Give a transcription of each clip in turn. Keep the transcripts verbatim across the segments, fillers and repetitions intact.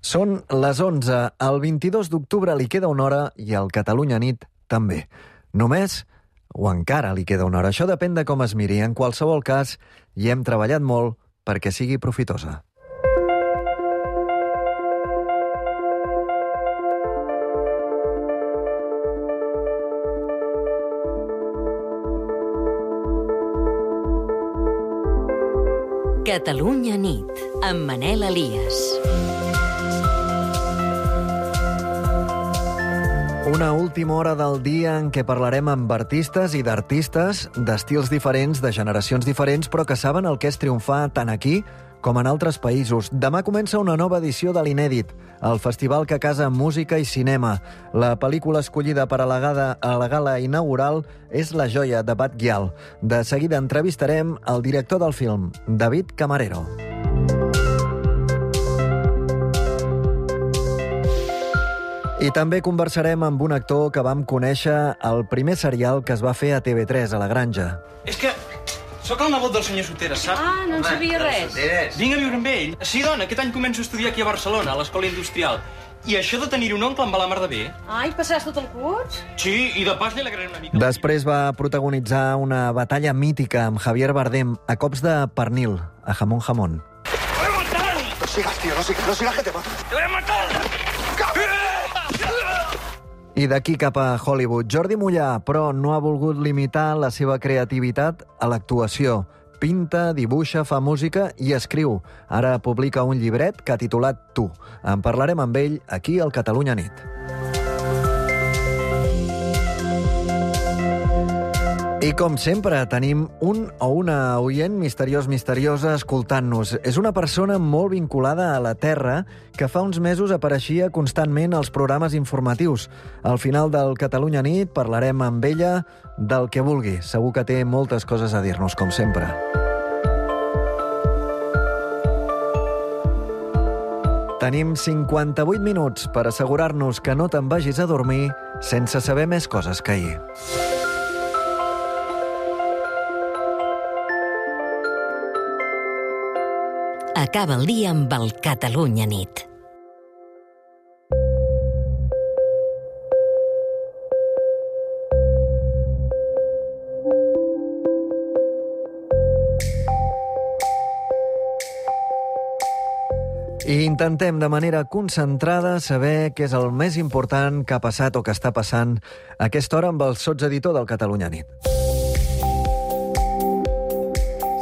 Són les onze. El vint-i-dos d'octubre li queda una hora i al Catalunya Nit també. Només o encara li queda una hora. Això depèn de com es miri. En qualsevol cas, hi hem treballat molt perquè sigui profitosa. Catalunya Nit, amb Manel Elias. Una última hora del dia en què parlarem amb artistes i d'artistes d'estils diferents, de generacions diferents, però que saben el que és triomfar tant aquí com en altres països. Demà comença una nova edició de l'Inèdit, el festival que casa música i cinema. La pel·lícula escollida per a la gala, a la gala inaugural és La joia, de Bat Gyal. De seguida entrevistarem el director del film, David Camarero. I també conversarem amb un actor que vam conèixer al primer serial que es va fer a T V tres, a La Granja. És que sóc el nebot del senyor Soteres, sap? Ah, no en sabia res. Vinc a viure amb ell. Sí, dona, aquest any començo a estudiar aquí a Barcelona, a l'Escola Industrial. I això de tenir un oncle em va la mar de bé. Ai, passaràs tot el curs? Sí, i de pas li alegraré una mica. Després va protagonitzar una batalla mítica amb Javier Bardem a cops de pernil, a Jamón Jamón. ¡Te voy a matar! No sigas, tío, no sigas, no sigas que te mato. ¡Te voy a matar! I d'aquí cap a Hollywood. Jordi Mollà, però, no ha volgut limitar la seva creativitat a l'actuació. Pinta, dibuixa, fa música i escriu. Ara publica un llibret que ha titulat Tu. En parlarem amb ell aquí al Catalunya Nit. I com sempre, tenim un o una oient misteriós misteriosa escoltant-nos. És una persona molt vinculada a la Terra que fa uns mesos apareixia constantment als programes informatius. Al final del Catalunya Nit parlarem amb ella del que vulgui. Segur que té moltes coses a dir-nos, com sempre. Tenim cinquanta-vuit minuts per assegurar-nos que no te'n vagis a dormir sense saber més coses que ahir. Acaba el dia amb el Catalunya Nit. I intentem de manera concentrada saber què és el més important que ha passat o que està passant a aquesta hora amb el sotseditor del Catalunya Nit.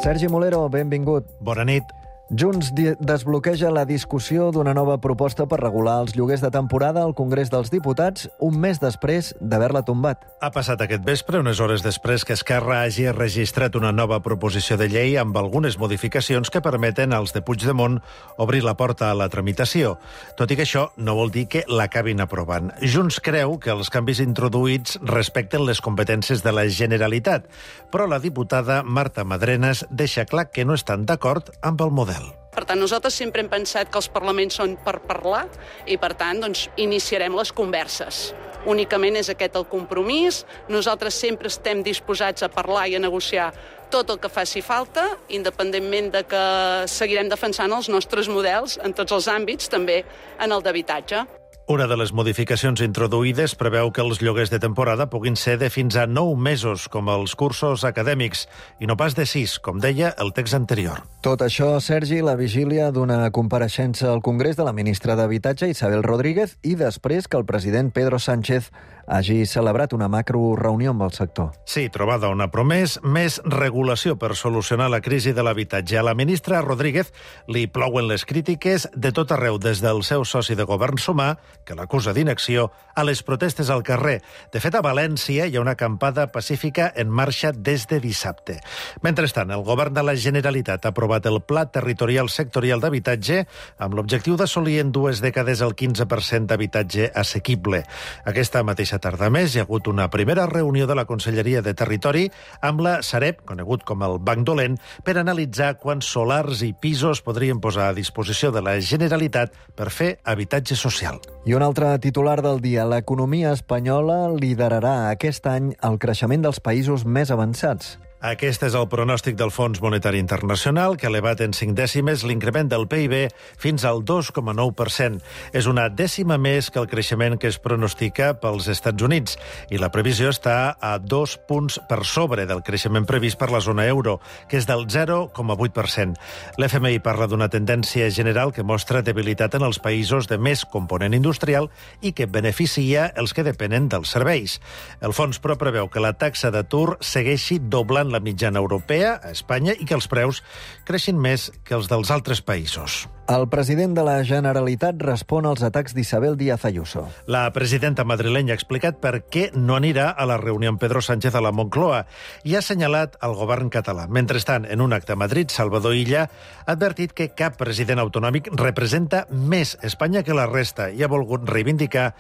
Sergi Molero, benvingut. Bona nit. Junts desbloqueja la discussió d'una nova proposta per regular els lloguers de temporada al Congrés dels Diputats un mes després d'haver-la tombat. Ha passat aquest vespre, unes hores després que Esquerra hagi registrat una nova proposició de llei amb algunes modificacions que permeten als de Puigdemont obrir la porta a la tramitació. Tot i que això no vol dir que l'acabin aprovant. Junts creu que els canvis introduïts respecten les competències de la Generalitat, però la diputada Marta Madrenas deixa clar que no estan d'acord amb el model. Per tant, nosaltres sempre hem pensat que els parlaments són per parlar i, per tant, doncs, iniciarem les converses. Únicament és aquest el compromís. Nosaltres sempre estem disposats a parlar i a negociar tot el que faci falta, independentment de que seguirem defensant els nostres models en tots els àmbits, també en el d'habitatge. Una de les modificacions introduïdes preveu que els lloguers de temporada puguin ser de fins a nou mesos, com els cursos acadèmics, i no pas de sis, com deia el text anterior. Tot això, Sergi, la vigília d'una compareixença al Congrés de la ministra d'Habitatge, Isabel Rodríguez, i després que el president Pedro Sánchez hagi celebrat una macroreunió amb el sector. Sí, trobada on ha promès més regulació per solucionar la crisi de l'habitatge. A la ministra Rodríguez li plouen les crítiques de tot arreu, des del seu soci de govern Sumar, que l'acusa d'inacció, a les protestes al carrer. De fet, a València hi ha una acampada pacífica en marxa des de dissabte. Mentrestant, el govern de la Generalitat ha aprovat el Pla Territorial Sectorial d'Habitatge amb l'objectiu d'assolir en dues dècades el quinze per cent d'habitatge assequible. Aquesta mateixa tarda més hi ha hagut una primera reunió de la Conselleria de Territori amb la Sareb, conegut com el Banc Dolent, per analitzar quants solars i pisos podrien posar a disposició de la Generalitat per fer habitatge social. I un altre titular del dia. L'economia espanyola liderarà aquest any el creixement dels països més avançats. Aquest és el pronòstic del Fons Monetari Internacional, que ha elevat en cinc dècimes l'increment del P I B fins al dos coma nou per cent. És una dècima més que el creixement que es pronostica pels Estats Units, i la previsió està a dos punts per sobre del creixement previst per la zona euro, que és del zero coma vuit per cent. L'F M I parla d'una tendència general que mostra debilitat en els països de més component industrial i que beneficia els que depenen dels serveis. El fons, però, preveu que la taxa d'atur segueixi doblant la mitjana europea a Espanya i que els preus creixin més que els dels altres països. El president de la Generalitat respon als atacs d'Isabel Díaz Ayuso. La presidenta madrilenya ha explicat per què no anirà a la reunió amb Pedro Sánchez a la Moncloa i ha assenyalat el govern català. Mentrestant, en un acte a Madrid, Salvador Illa ha advertit que cap president autonòmic representa més Espanya que la resta i ha volgut reivindicar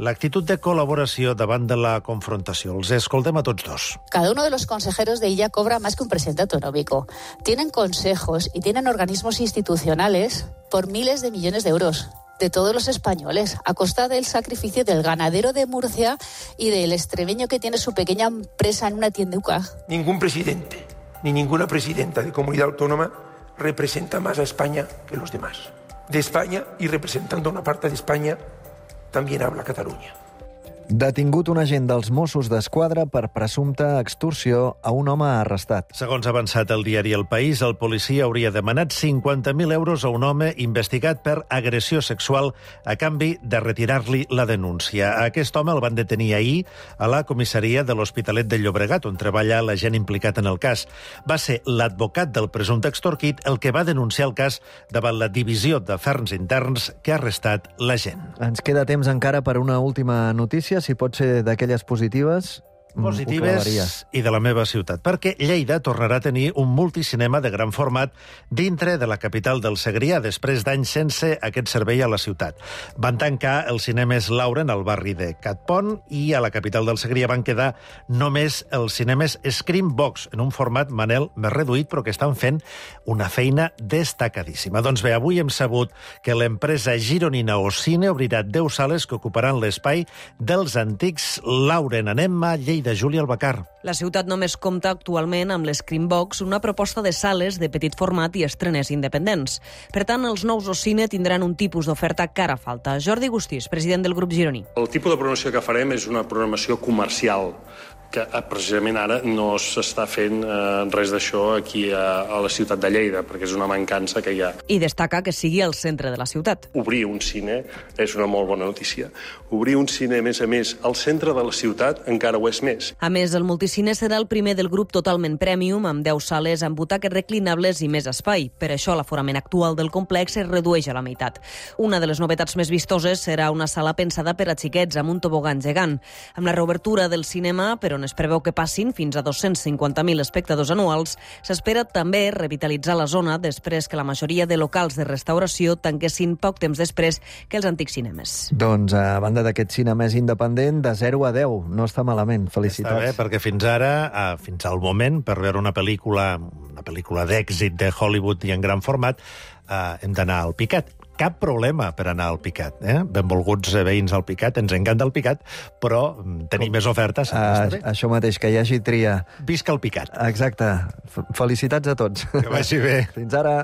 l'actitud de col·laboració davant de la confrontació. Els escoltem a tots dos. Cada uno de los consejeros de Illa cobra más que un presidente autonómico. Tienen consejos y tienen organismos institucionales por miles de millones de euros de todos los españoles, a costa del sacrificio del ganadero de Murcia y del extremeño que tiene su pequeña empresa en una tienduca. Ningún presidente ni ninguna presidenta de comunidad autónoma representa más a España que los demás. De España, y representando una parte de España, también habla Cataluña. Detingut un agent dels Mossos d'Esquadra per presumpta extorsió a un home arrestat. Segons ha avançat el diari El País, el policia hauria demanat cinquanta mil euros a un home investigat per agressió sexual a canvi de retirar-li la denúncia. A aquest home el van detenir ahir a la comissaria de l'Hospitalet de Llobregat, on treballa l'agent implicat en el cas. Va ser l'advocat del presumpte extorquit el que va denunciar el cas davant la divisió d'afers interns que ha arrestat l'agent. Ens queda temps encara per una última notícia, si pot ser d'aquelles positives. Positives i de la meva ciutat, perquè Lleida tornarà a tenir un multicinema de gran format dintre de la capital del Segrià, després d'anys sense aquest servei a la ciutat. Van tancar els cinemes Lauren al barri de Catpont i a la capital del Segrià van quedar només els cinemes Screambox, en un format, Manel, més reduït, però que estan fent una feina destacadíssima. Doncs bé, avui hem sabut que l'empresa gironina Ocine obrirà deu sales que ocuparan l'espai dels antics Lauren. Anem a Lleida. De Júlia Albacar. La ciutat només compta actualment amb l'Screenbox, una proposta de sales de petit format i estrenes independents. Per tant, els nous Ocine tindran un tipus d'oferta que ara falta. Jordi Gustís, president del grup gironí. El tipus de programació que farem és una programació comercial, que precisament ara no s'està fent eh, res d'això aquí a, a la ciutat de Lleida, perquè és una mancança que hi ha. I destaca que sigui al centre de la ciutat. Obrir un cine és una molt bona notícia. Obrir un cine, a més a més, al centre de la ciutat encara ho és més. A més, el multicine serà el primer del grup totalment premium, amb deu sales amb butaques reclinables i més espai. Per això, l'aforament actual del complex es redueix a la meitat. Una de les novetats més vistoses serà una sala pensada per a xiquets, amb un tobogan gegant. Amb la reobertura del cinema, per on es preveu que passin fins a dos-cents cinquanta mil espectadors anuals, s'espera també revitalitzar la zona després que la majoria de locals de restauració tanquessin poc temps després que els antics cinemes. Doncs, a banda d'aquest cine més independent, de zero a deu, no està malament. Felicitats. Està bé, perquè fins ara, fins al moment, per veure una pel·lícula, una pel·lícula d'èxit de Hollywood i en gran format, eh, hem d'anar al Picat. Cap problema per anar al Picat. Eh? Benvolguts veïns al Picat, ens encanta el Picat, però tenir més ofertes. Uh, això mateix, que hi hagi tria. Visca el Picat. Exacte. Felicitats a tots. Que vagi bé. Fins ara.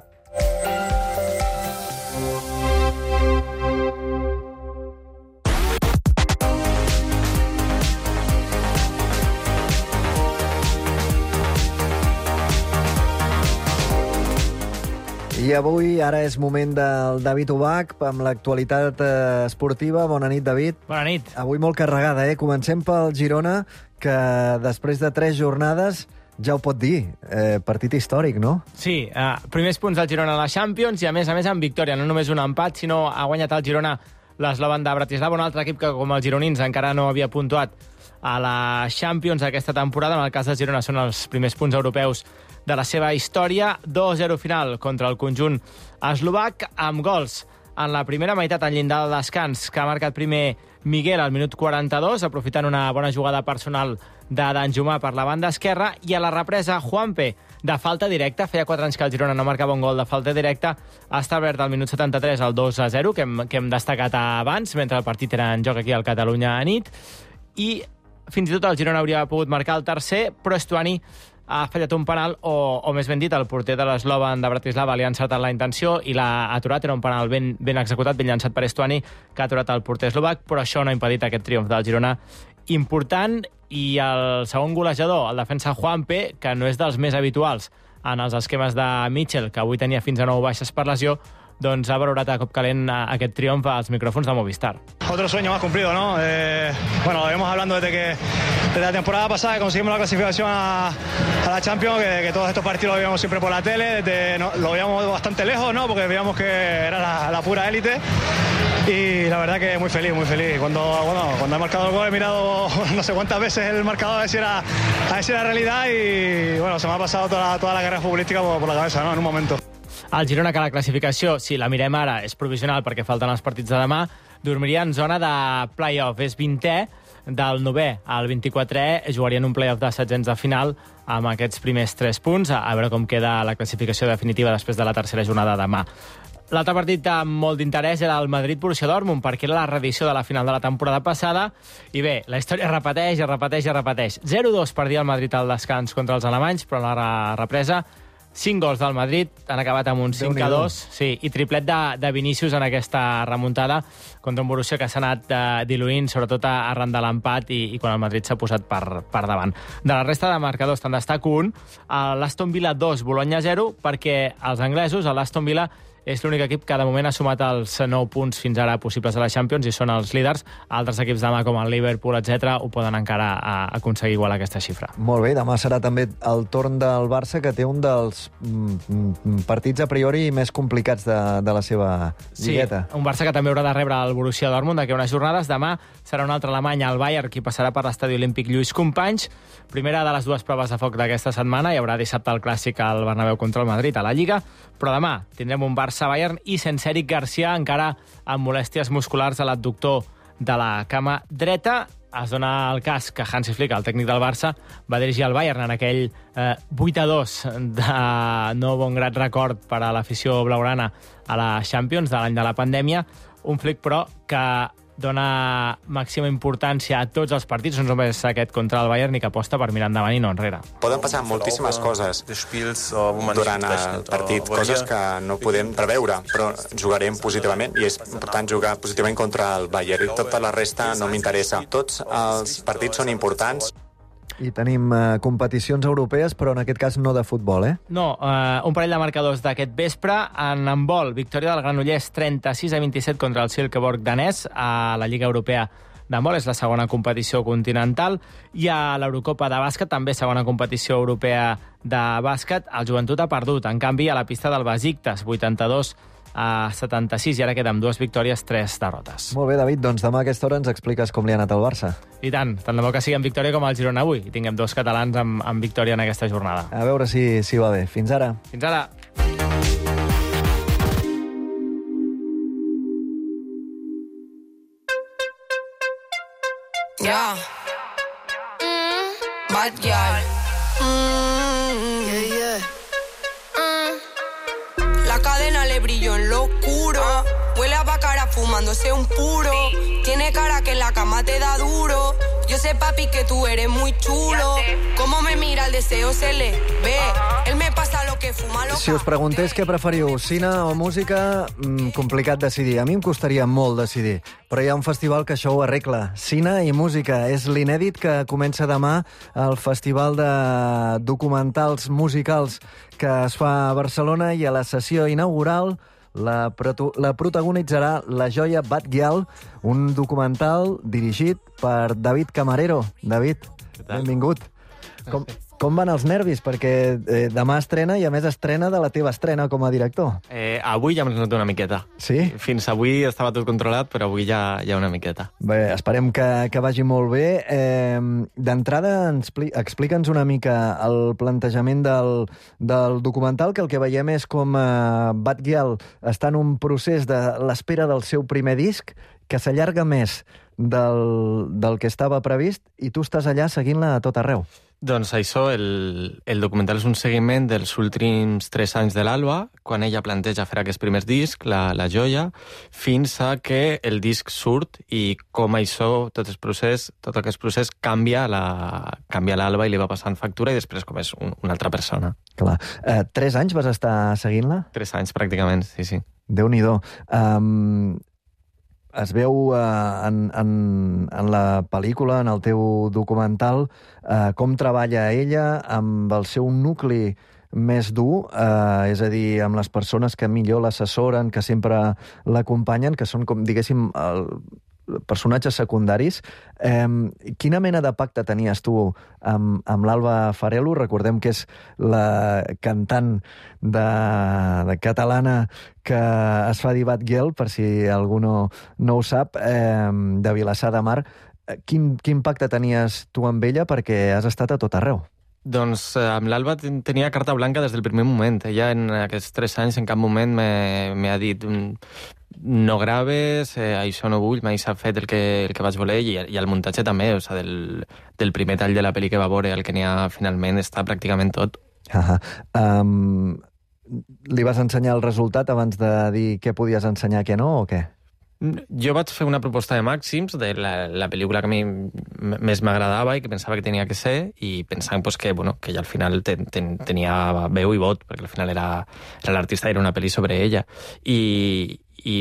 I avui, ara és moment del David Ubach, amb l'actualitat eh, esportiva. Bona nit, David. Bona nit. Avui molt carregada, eh? Comencem pel Girona, que després de tres jornades ja ho pot dir. Eh, partit històric, no? Sí, eh, primers punts del Girona a la Champions i, a més a més, amb victòria. No només un empat, sinó ha guanyat el Girona l'Eslovan de Bratislava, un altre equip que, com els gironins, encara no havia puntuat a la Champions aquesta temporada. En el cas del Girona són els primers punts europeus de la seva història. dos a zero final contra el conjunt eslovac, amb gols en la primera meitat al llindar del descans, que ha marcat primer Miguel al minut quaranta-dos, aprofitant una bona jugada personal de Danjumà per la banda esquerra, i a la represa Juanpe, de falta directa. Feia quatre anys que el Girona no marcava un gol de falta directa. Ha establert al minut setanta-tres el dos a zero, que hem, que hem destacat abans, mentre el partit era en joc aquí al Catalunya a nit. I fins i tot el Girona hauria pogut marcar el tercer, però Estuani ha fallat un penal, o, o més ben dit, el porter de l'Slovan de Bratislava li ha encertat la intenció i l'ha aturat. Era un penal ben, ben executat, ben llançat per Estuani, que ha aturat el porter eslovac, però això no ha impedit aquest triomf del Girona important. I el segon golejador, el defensa Juanpe, que no és dels més habituals en els esquemes de Mitchell, que avui tenia fins a nou baixes per lesió, doncs ha valorat a cop calent aquest triomf als micròfons de Movistar. Otro sueño más cumplido, ¿no? Eh, bueno, lo venimos hablando desde que desde la temporada pasada que conseguimos la clasificación a, a la Champions, que, que todos estos partidos lo veíamos siempre por la tele, desde, no, lo veíamos bastante lejos, ¿no? Porque veíamos que era la, la pura élite. Y la verdad que muy feliz, muy feliz. Cuando, bueno, cuando he marcado el gol he mirado no sé cuántas veces el marcador a ver si era, a ver si era realidad y bueno, se me ha pasado toda la, toda la carrera futbolística por, por la cabeza, ¿no? En un momento. El Girona, que la classificació, si la mirem ara, és provisional perquè falten els partits de demà, dormiria en zona de play-off. És vintè, del novè al vint-i-quatrè, jugarien un play-off de setzents de final amb aquests primers tres punts, a veure com queda la classificació definitiva després de la tercera jornada de demà. L'altre partit amb molt d'interès era el Madrid-Borussia Dortmund, perquè era la reedició de la final de la temporada passada. I bé, la història es repeteix, es repeteix, es repeteix. zero dos perdia el Madrid al descans contra els alemanys, però en la represa cinc gols del Madrid, han acabat amb un cinc a dos, sí, i triplet de, de Vinícius en aquesta remuntada contra un Borussia que s'ha anat eh, diluint, sobretot arran de l'empat i, i quan el Madrid s'ha posat per, per davant. De la resta de marcadors te'n destaco un, l'Aston Villa dos, Bologna zero, perquè els anglesos, l'Aston Villa, és l'únic equip que de moment ha sumat els nou punts fins ara possibles a la Champions i són els líders. Altres equips demà com el Liverpool, etcètera, ho poden encara a, a aconseguir igual aquesta xifra. Molt bé, demà serà també el torn del Barça, que té un dels mm, partits a priori més complicats de, de la seva lligueta. Sí, un Barça que també haurà de rebre el Borussia Dortmund d'aquí unes jornades. Demà serà un altre alemany, el Bayern, qui passarà per l'estadi olímpic Lluís Companys. Primera de les dues proves de foc d'aquesta setmana. Hi haurà dissabte el clàssic al Bernabéu contra el Madrid a la Lliga, però demà tindrem un Barça-Bayern i sense Eric Garcia, encara amb molèsties musculars a l'adductor de la cama dreta. Es dona el cas que Hansi Flick, el tècnic del Barça, va dirigir el Bayern en aquell eh, vuit a dos de no bon grat record per a l'afició blaugrana a la Champions de l'any de la pandèmia. Un Flick, però, que dona màxima importància a tots els partits, no només aquest contra el Bayern, i que aposta per mirar endavant i no enrere. Poden passar moltíssimes coses durant el partit, coses que no podem preveure, però jugarem positivament i és important jugar positivament contra el Bayern i tota la resta no m'interessa. Tots els partits són importants. I tenim uh, competicions europees, però en aquest cas no de futbol, eh? No, uh, un parell de marcadors d'aquest vespre. En handbol, victòria del Granollers trenta-sis a vint-i-set contra el Silkeborg danès a la Lliga Europea d'handbol, és la segona competició continental. I a l'Eurocopa de bàsquet, també segona competició europea de bàsquet, el Joventut ha perdut. En canvi, a la pista del Besiktas, vuitanta-dos a setanta-sis, i ara queda amb dues victòries, tres derrotes. Molt bé, David, doncs demà a aquesta hora ens expliques com li ha anat al Barça. I tant, tant de bo que sigui en victòria com el Girona avui, i tinguem dos catalans amb, amb victòria en aquesta jornada. A veure si, si va bé. Fins ara. Fins ara. Yeah. Mm, bad girl. Mm, yeah, yeah. Mm. La cadena le brilló en lo oscuro. Huele a bacara fumándose un puro. Tiene cara que en la cama te da duro. Yo sé, papi, que tú eres muy chulo. Cómo me mira, el deseo se le ve. Él me pasa lo que fuma lo. Si us preguntés què preferiu, cine o música, mm, complicat decidir. A mi em costaria molt decidir, però hi ha un festival que això ho arregla. Cine i música. És l'inèdit que comença demà al Festival de Documentals Musicals que es fa a Barcelona, i a la sessió inaugural La, proto la protagonitzarà La joia Bad Gyal, un documental dirigit per David Camarero. David, benvingut. Com, com van els nervis? Perquè eh, demà estrena, i a més estrena de la teva estrena com a director. Eh, avui ja m'he notat una miqueta. Sí? Fins avui estava tot controlat, però avui ja, ja una miqueta. Bé, esperem que, que vagi molt bé. Eh, D'entrada, explica'ns una mica el plantejament del, del documental, que el que veiem és com eh, Bad Gyal està en un procés de l'espera del seu primer disc, que s'allarga més del, del que estava previst i tu estàs allà seguint-la a tot arreu. Doncs això, el, el documental és un seguiment dels últims tres anys de l'Alba, quan ella planteja fer aquest primer disc, La, la joia, fins a que el disc surt i com això, tot el procés, tot aquest procés canvia la, canvia l'Alba i li va passant factura i després com és un, una altra persona. Clar. Eh, tres anys vas estar seguint-la? Tres anys, pràcticament, sí, sí. Déu-n'hi-do. Um, es veu uh, en, en, en la pel·lícula, en el teu documental, uh, com treballa ella amb el seu nucli més dur, uh, és a dir, amb les persones que millor l'assessoren, que sempre l'acompanyen, que són, com diguéssim, el, personatges secundaris. Eh, quina mena de pacte tenies tu amb, amb l'Alba Farelo? Recordem que és la cantant de, de catalana que es fa dir Batgirl, per si algú no, no ho sap, eh, de Vilassar de Mar. Quin, quin pacte tenies tu amb ella? Perquè has estat a tot arreu. Doncs eh, amb l'Alba tenia carta blanca des del primer moment. Ella en aquests tres anys en cap moment m'ha dit no graves, eh, això no vull, mai s'ha fet el que, el que vaig voler i, i el muntatge també, o sigui, del, del primer tall de la pel·li que va veure al que n'hi ha finalment està pràcticament tot. Uh-huh. Um, li vas ensenyar el resultat abans de dir què podies ensenyar, què no, o què? Jo vaig fer una proposta de màxims de la, la pel·lícula que a mi més m'agradava i que pensava que tenia que ser i pensant pues, que, bueno, que ja al final ten, ten, tenia veu i vot, perquè al final era, era l'artista i era una pel·li sobre ella. I, i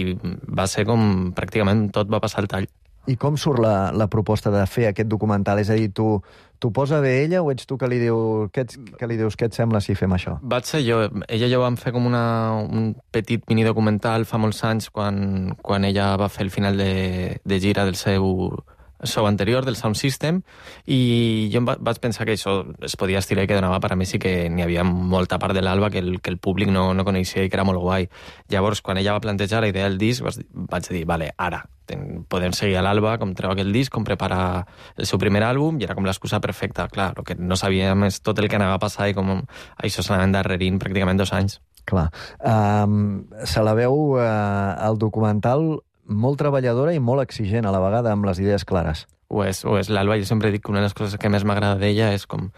va ser com pràcticament tot va passar al tall. I com surt la, la proposta de fer aquest documental? És a dir, tu t'ho posa bé ella o ets tu que li, diu, que, ets, que li dius què et sembla si fem això? Vaig ser jo. Ella i jo vam fer com una, un petit minidocumental fa molts anys quan, quan ella va fer el final de, de gira del seu show anterior, del Sound System, i jo vaig pensar que això es podia estirar i que donava per a més i que n'hi havia molta part de l'Alba que el, que el públic no, no coneixia i que era molt guai. Llavors, quan ella va plantejar la idea del disc, vaig dir, vale, ara, ten, podem seguir a l'Alba, com treu aquell disc, com prepara el seu primer àlbum, i era com l'excusa perfecta. Clar, el que no sabíem és tot el que anava a passar i com això s'anava endarrerint pràcticament dos anys. Clar. Um, se la veu uh, al documental molt treballadora i molt exigent a la vegada, amb les idees clares. Ho és, ho és. L'Alba, jo sempre dic que una de les coses que més m'agrada d'ella és com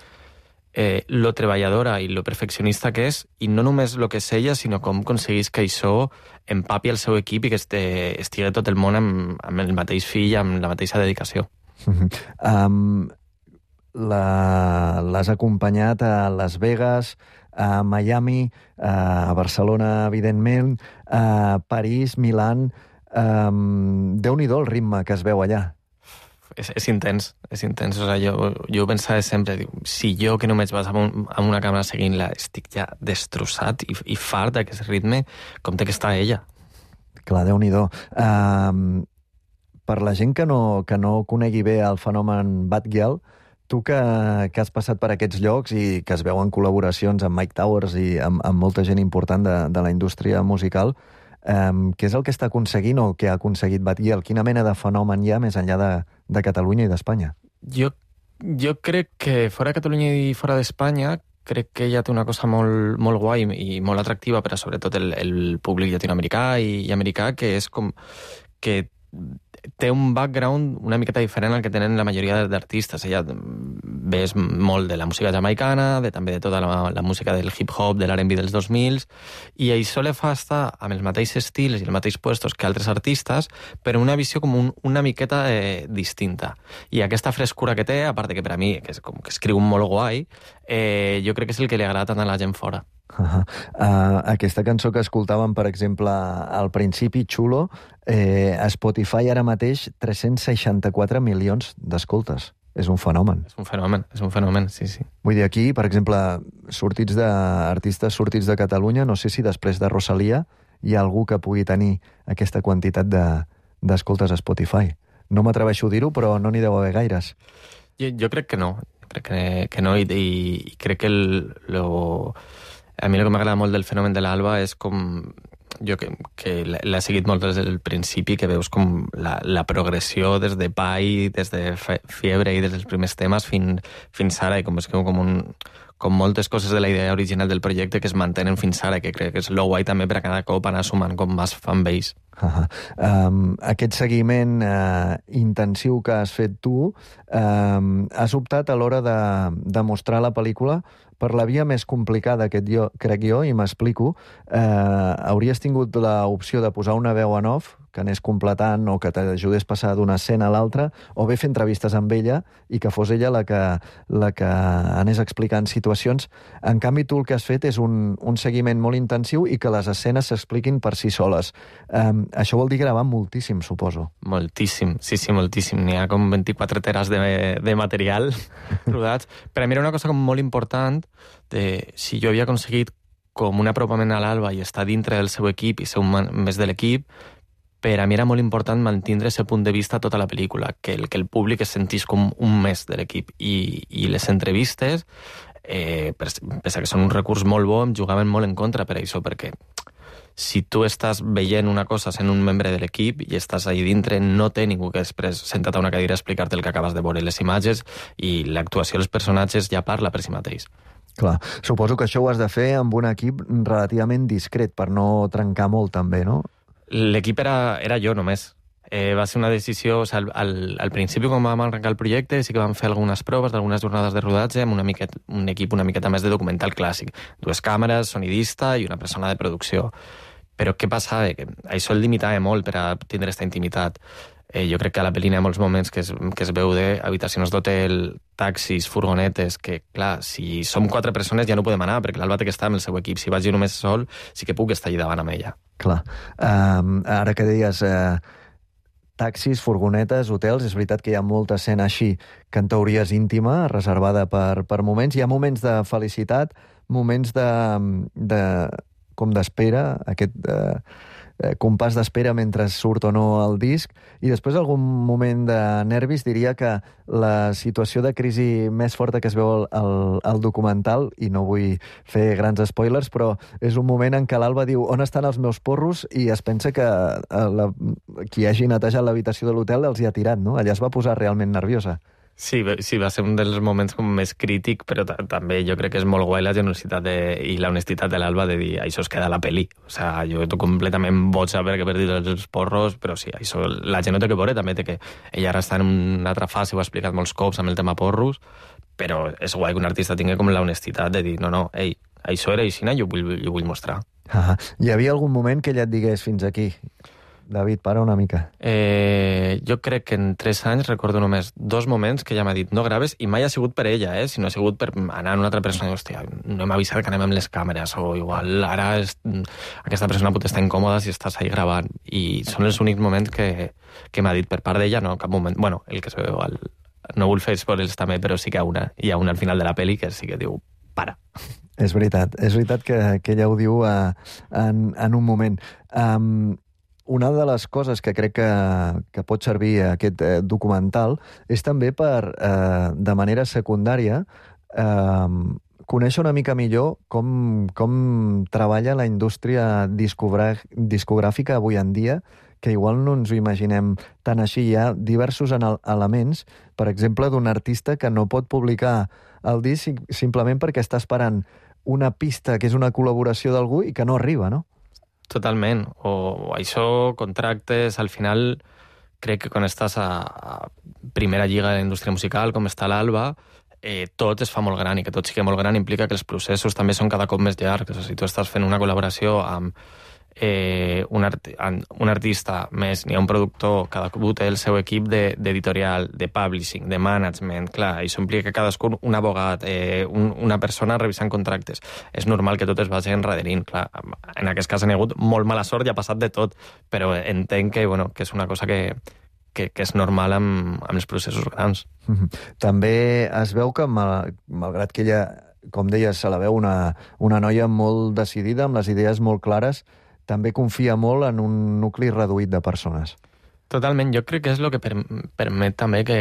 eh, lo treballadora i lo perfeccionista que és, i no només lo que és ella, sinó com aconseguís que això empapi el seu equip i que este, estigui tot el món amb, amb el mateix fill, amb la mateixa dedicació. um, l'has acompanyat a Las Vegas, a Miami, a Barcelona, evidentment, a París, Milán. Um, Déu-n'hi-do el ritme que es veu allà. És, és intens, és intens. O sigui, jo, jo pensava sempre, dic, si jo que només vas amb, un, amb una càmera seguint-la estic ja destrossat i, i fart d'aquest ritme, com té que està ella. Clar, Déu-n'hi-do. Um, per la gent que no, que no conegui bé el fenomen Batgirl, tu que, que has passat per aquests llocs i que es veuen col·laboracions amb Mike Towers i amb, amb molta gent important de, de la indústria musical, Um, què és el que està aconseguint o què ha aconseguit Batgirl? Quina mena de fenomen hi ha més enllà de, de Catalunya i d'Espanya? Jo, jo crec que fora de Catalunya i fora d'Espanya crec que ella té una cosa molt, molt guai i molt atractiva per a sobretot el, el públic llatinoamericà i, i americà, que és com que té un background una miqueta diferent al que tenen la majoria d'artistes. Ella ves molt de la música jamaicana, de, també de tota la, la música del hip-hop, de l'R and B dels dos mil, i això li fa estar amb els mateixos estils i els mateixos puestos que altres artistes, però una visió com un, una miqueta eh, distinta. I aquesta frescura que té, a part que per a mi, que, és, com que escriu molt guai, eh, jo crec que és el que li agrada tant a la gent fora. Uh-huh. Uh, aquesta cançó que escoltàvem, per exemple, al principi, Chulo, eh, a Spotify ara mateix tres-cents seixanta-quatre milions d'escoltes. És un fenomen. És un fenomen, és un fenomen, sí, sí. Vull dir, aquí, per exemple, sortits de, artistes sortits de Catalunya, no sé si després de Rosalia hi ha algú que pugui tenir aquesta quantitat de, d'escoltes a Spotify. No m'atreveixo a dir-ho, però no n'hi deu haver gaires. Jo, jo crec que no, crec que, que no, i, i, i crec que el, lo... a mi el que m'agrada molt del fenomen de l'Alba és com, jo que, que l'he seguit molt des del principi, que veus com la, la progressió des de Pai, des de Fiebre i des dels primers temes fins, fins ara, i com és com un, com moltes coses de la idea original del projecte que es mantenen fins ara, que crec que és lo guai també per a cada cop anar sumant com més fanbase. Uh -huh. um, aquest seguiment uh, intensiu que has fet tu, um, has optat a l'hora de, de mostrar la pel·lícula per la via més complicada, aquest jo, crec jo, i m'explico. Uh, hauries tingut l'opció de posar una veu en off que anés completant o que t'ajudés a passar d'una escena a l'altra, o bé fer entrevistes amb ella i que fos ella la que, la que anés explicant situacions. En canvi, tu el que has fet és un, un seguiment molt intensiu i que les escenes s'expliquin per si soles. Um, això vol dir gravar moltíssim, suposo. Moltíssim, sí, sí, moltíssim. N'hi ha com vint-i-quatre teras de, de material rodats. Per a mi era una cosa com molt important de si jo havia aconseguit com un apropament a l'Alba i estar dintre del seu equip i ser un més de l'equip, per a mi era molt important mantindre aquest punt de vista a tota la pel·lícula, que el, que el públic es sentís com un més de l'equip. I, i les entrevistes, eh, pese que són un recurs molt bo, em jugaven molt en contra per això, perquè si tu estàs veient una cosa sent un membre de l'equip i estàs ahí dintre, no té ningú que després sentat a una cadira a explicar-te el que acabes de veure les imatges, i l'actuació dels personatges ja parla per si mateix. Clar, suposo que això ho has de fer amb un equip relativament discret per no trencar molt també, no? L'equip era, era jo només. Eh, va ser una decisió... O sigui, al, al principi, quan vam arrencar el projecte, sí que vam fer algunes proves d'algunes jornades de rodatge amb una miqueta, un equip una miqueta més de documental clàssic. Dues càmeres, sonidista i una persona de producció. Però què passava? Que això el limitava molt per a tindre aquesta intimitat. Eh, jo crec que a la pel·li hi ha molts moments que es, que es veu d'habitacions d'hotel, taxis, furgonetes, que, clar, si som quatre persones ja no podem anar, perquè l'Alba té que estar amb el seu equip. Si vaig jo només sol, sí que puc estar allà davant amb ella. Clar. Um, ara que deies eh, taxis, furgonetes, hotels, és veritat que hi ha molta escena així que en teoria és íntima, reservada per, per moments. Hi ha moments de felicitat, moments de, de com d'espera, aquest eh, compàs d'espera mentre surt o no el disc, i després algun moment de nervis. Diria que la situació de crisi més forta que es veu al, al documental, i no vull fer grans spoilers, però és un moment en què l'Alba diu on estan els meus porros, i es pensa que la, qui hagi netejat l'habitació de l'hotel els hi ha tirat, no? Allà es va posar realment nerviosa. Sí, sí, va ser un dels moments com més crític, però també jo crec que és molt guai la generositat de, i l'honestitat de l'Alba de dir això es queda a la pel·li. O sigui, jo estic completament boig a veure que he perdut els porros, però sí, això la gent no té que veure, també té que... Ella ara està en una altra fase, ho ha explicat molts cops amb el tema porros, però és guai que un artista tingui com l'honestitat de dir no, no, ei, això era així, jo vull, jo vull mostrar. Ah, hi havia algun moment que ella et digués fins aquí? David, para una mica. Eh, jo crec que en tres anys recordo només dos moments que ella m'ha dit no graves, i mai ha sigut per ella, eh, sinó ha sigut per anar a una altra persona i dir, hòstia, no hem avisat que anem amb les càmeres, o igual ara és, aquesta persona pot estar incòmoda si estàs ahí gravant. I són els únics moments que, que m'ha dit per part d'ella, no, cap moment. Bueno, el que es veu, el, no vull fer spoilers també, però sí que hi ha una, hi ha una al final de la pel·li que sí que diu, para. És veritat, és veritat que, que ella ho diu uh, en, en un moment. Um, Una de les coses que crec que, que pot servir aquest eh, documental és també per, eh, de manera secundària, eh, conèixer una mica millor com, com treballa la indústria discogràfica avui en dia, que igual no ens ho imaginem tan així. Hi ha diversos elements, per exemple, d'un artista que no pot publicar el disc simplement perquè està esperant una pista que és una col·laboració d'algú i que no arriba, no? Totalment. O això, contractes, al final crec que quan estàs a, a primera lliga de la indústria musical, com està l'Alba, eh, tot es fa molt gran, i que tot sigui molt gran implica que els processos també són cada cop més llargs. O sigui, si tu estàs fent una col·laboració amb eh, un, art un artista més, n'hi ha un productor, cadascú té el seu equip d'editorial, de, de publishing, de management, clar, això implica que cadascú, un abogat, eh, un, una persona revisant contractes. És normal que tot es vagi enrederint, clar. En aquest cas han hagut molt mala sort i ha passat de tot, però entenc que, bueno, que és una cosa que, que, que és normal amb, amb els processos grans. Mm-hmm. També es veu que, mal, malgrat que ella, com deies, se la veu una, una noia molt decidida, amb les idees molt clares, també confia molt en un nucli reduït de persones. Totalment, jo crec que és el que per, permet també que,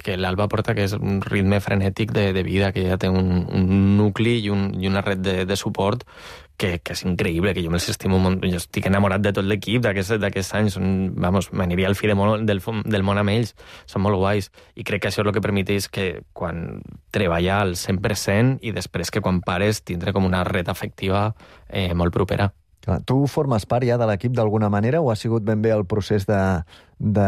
que l'Alba porta, que és un ritme frenètic de, de vida, que ja té un, un nucli i, un, i una red de, de suport que, que és increïble, que jo me'ls estimo molt, jo estic enamorat de tot l'equip d'aquests anys, són, vamos, m'aniria al fi de món, del, del món amb ells, són molt guais, i crec que això és el que permeteix que quan treballar al cent per cent i després que quan pares tindre com una red afectiva eh, molt propera. Tu formes part ja de l'equip d'alguna manera o ha sigut ben bé el procés de, de,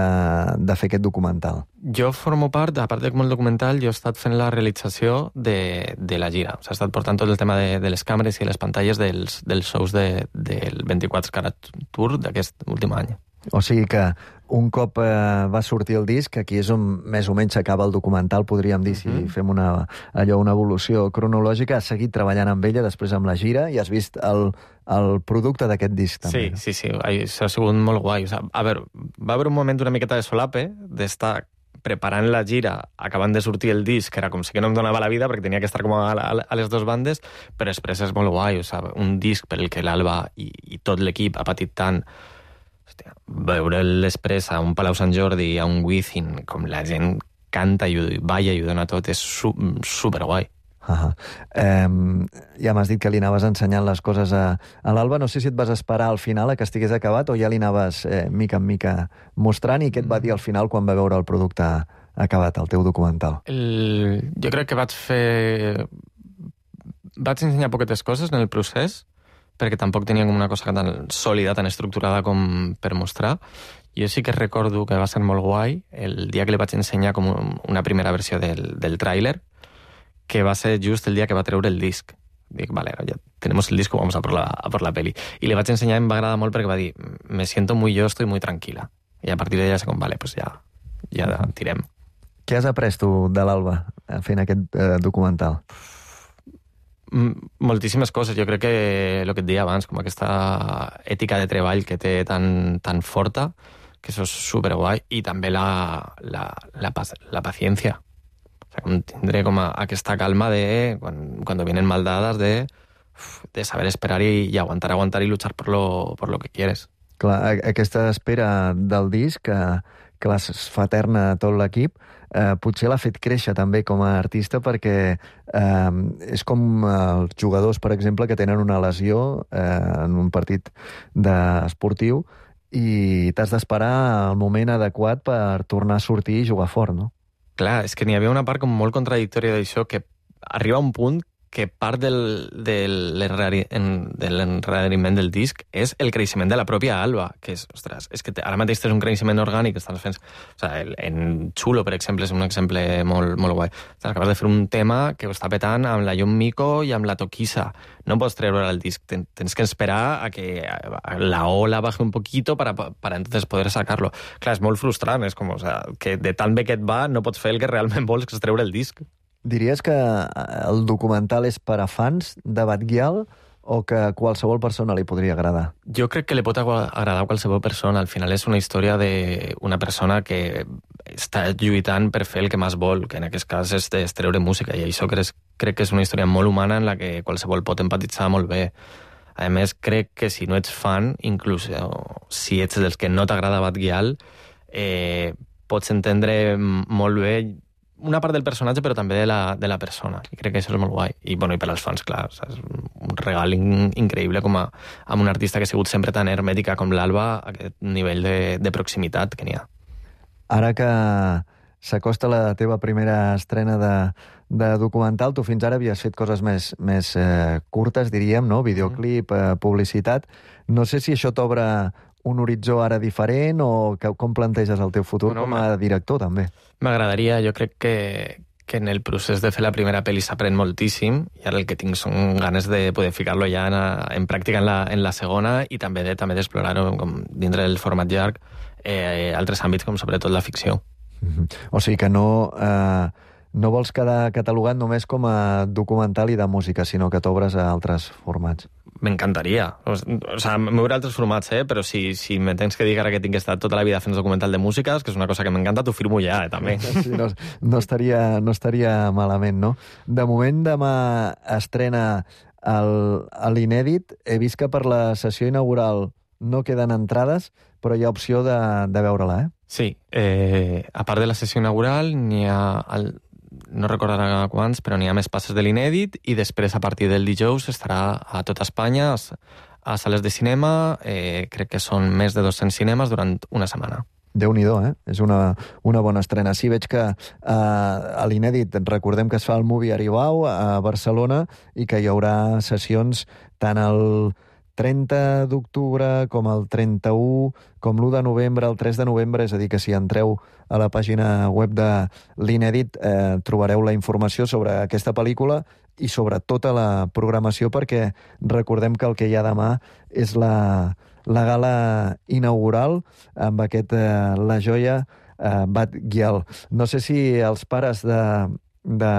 de fer aquest documental? Jo formo part, a part de com el documental, jo he estat fent la realització de, de la gira. O sigui, he estat portant tot el tema de, de les càmeres i les pantalles dels, dels shows de, del vint-i-quatre Carat Tour d'aquest últim any. O sigui que un cop eh, va sortir el disc, aquí és on més o menys s'acaba el documental, podríem dir, si mm-hmm. fem una, allò, una evolució cronològica, has seguit treballant amb ella, després amb la gira, i has vist el, el producte d'aquest disc, també. Sí, sí, sí, això ha sigut molt guai. O sigui, a veure, va haver un moment una miqueta de solape, d'estar preparant la gira, acabant de sortir el disc, que era com si que no em donava la vida, perquè tenia que estar com a, a, a les dues bandes, però després és molt guai, o sigui, un disc per el que l'Alba i, i tot l'equip ha patit tant. Hòstia, veure després a un Palau Sant Jordi, a un Wizzing, com la gent canta i balla i ho dona tot, és su superguai. Uh-huh. eh, ja m'has dit que li anaves ensenyant les coses a, a l'Alba. No sé si et vas esperar al final a que estigués acabat o ja li anaves eh, mica en mica mostrant, i què et va dir al final quan va veure el producte acabat, el teu documental? El... Jo crec que vaig fer... Vaig ensenyar poquetes coses en el procés, perquè tampoc tenia com una cosa tan sòlida, tan estructurada com per mostrar. Jo sí que recordo que va ser molt guai el dia que li vaig ensenyar com una primera versió del, del tràiler, que va ser just el dia que va treure el disc. Dic, vale, ya tenemos el disco, vamos a por la, a por la peli. I li vaig ensenyar, em va agradar molt perquè va dir, me siento muy yo, estoy muy tranquila. I a partir d'ella sé com, vale, pues ja, ja tirem. Què has après tu de l'Alba fent aquest eh, documental? Moltíssimes coses. Jo crec que el que et deia abans, com aquesta ètica de treball que té tan, tan forta, que això és superguai, i també la, la, la, la paciència. O sea, com tindré com a, aquesta calma de, quan, cuando vienen mal dadas, de, de saber esperar i, i aguantar, aguantar i luchar por lo, por lo que quieres. Clar, aquesta espera del disc, que, que les fa eterna tot l'equip, eh, potser l'ha fet créixer també com a artista, perquè eh, és com els jugadors, per exemple, que tenen una lesió eh, en un partit esportiu i t'has d'esperar el moment adequat per tornar a sortir i jugar fort, no? Clar, és que n'hi havia una part com molt contradictòria d'això, que arriba a un punt que part del, del, de l'enreriment del disc és el creixement de la pròpia Alba, que és, ostres, és que ara mateix és un creixement orgànic, estàs fent... O sigui, en Chulo, per exemple, és un exemple molt, molt guai. Estàs acabes de fer un tema que ho està petant amb la Jon Mico i amb la Toquisa. No pots treure el disc, ten, tens que esperar a que la ola baje un poquito para, para entonces poder sacarlo. Clar, és molt frustrant, és com, o sea, que de tan bé que et va no pots fer el que realment vols, que és treure el disc. Diries que el documental és per a fans de Batguial o que a qualsevol persona li podria agradar? Jo crec que li pot agradar a qualsevol persona. Al final és una història d'una persona que està lluitant per fer el que més vol, que en aquest cas és treure música, i això crec, crec que és una història molt humana en la que qualsevol pot empatitzar molt bé. A més, crec que si no ets fan, inclús si ets dels que no t'agrada Batguial, eh, pots entendre molt bé una part del personatge, però també de la, de la persona. I crec que això és molt guai. I, bueno, i per als fans, clar, és un regal in, increïble com a, amb un artista que ha sigut sempre tan hermètica com l'Alba, aquest nivell de, de proximitat que n'hi ha. Ara que s'acosta la teva primera estrena de, de documental, tu fins ara havies fet coses més, més eh, curtes, diríem, no? Videoclip, eh, publicitat. No sé si això t'obre un horitzó ara diferent o que, com planteges el teu futur no, com a director, també? M'agradaria, jo crec que, que en el procés de fer la primera pel·li s'aprèn moltíssim, i ara el que tinc són ganes de poder ficar-lo ja en, en pràctica en la, en la segona, i també de també d'explorar-ho com dintre del format llarg, eh, altres àmbits com sobretot la ficció. Mm-hmm. O sigui que no... Eh... No vols quedar catalogat només com a documental i de música, sinó que t'obres a altres formats. M'encantaria. O sigui, m'obre altres formats, eh? Però si, si me tens que dir ara que tinc estat tota la vida fent documental de música, que és una cosa que m'encanta, t'ho firmo ja, eh, també. Sí, no, no, estaria, no estaria malament, no? De moment, demà estrena l'inèdit. He vist que per la sessió inaugural no queden entrades, però hi ha opció de, de veure-la, eh? Sí, eh, a part de la sessió inaugural, n'hi ha, el, no recordarà quants, però n'hi ha més passes de l'inèdit i després, a partir del dijous, estarà a tota Espanya, a sales de cinema, eh, crec que són més de dos-cents cinemes durant una setmana. Déu-n'hi-do, eh? És una, una bona estrena. Sí, veig que eh, a l'inèdit, recordem que es fa el Movie Aribau a Barcelona i que hi haurà sessions tant el trenta d'octubre com el trenta-u, com l'u de novembre, el tres de novembre, és a dir, que si entreu a la pàgina web de l'Inèdit eh, trobareu la informació sobre aquesta pel·lícula i sobre tota la programació, perquè recordem que el que hi ha demà és la, la gala inaugural amb aquest eh, La Joia eh, Bat Gyal. No sé si els pares de, de,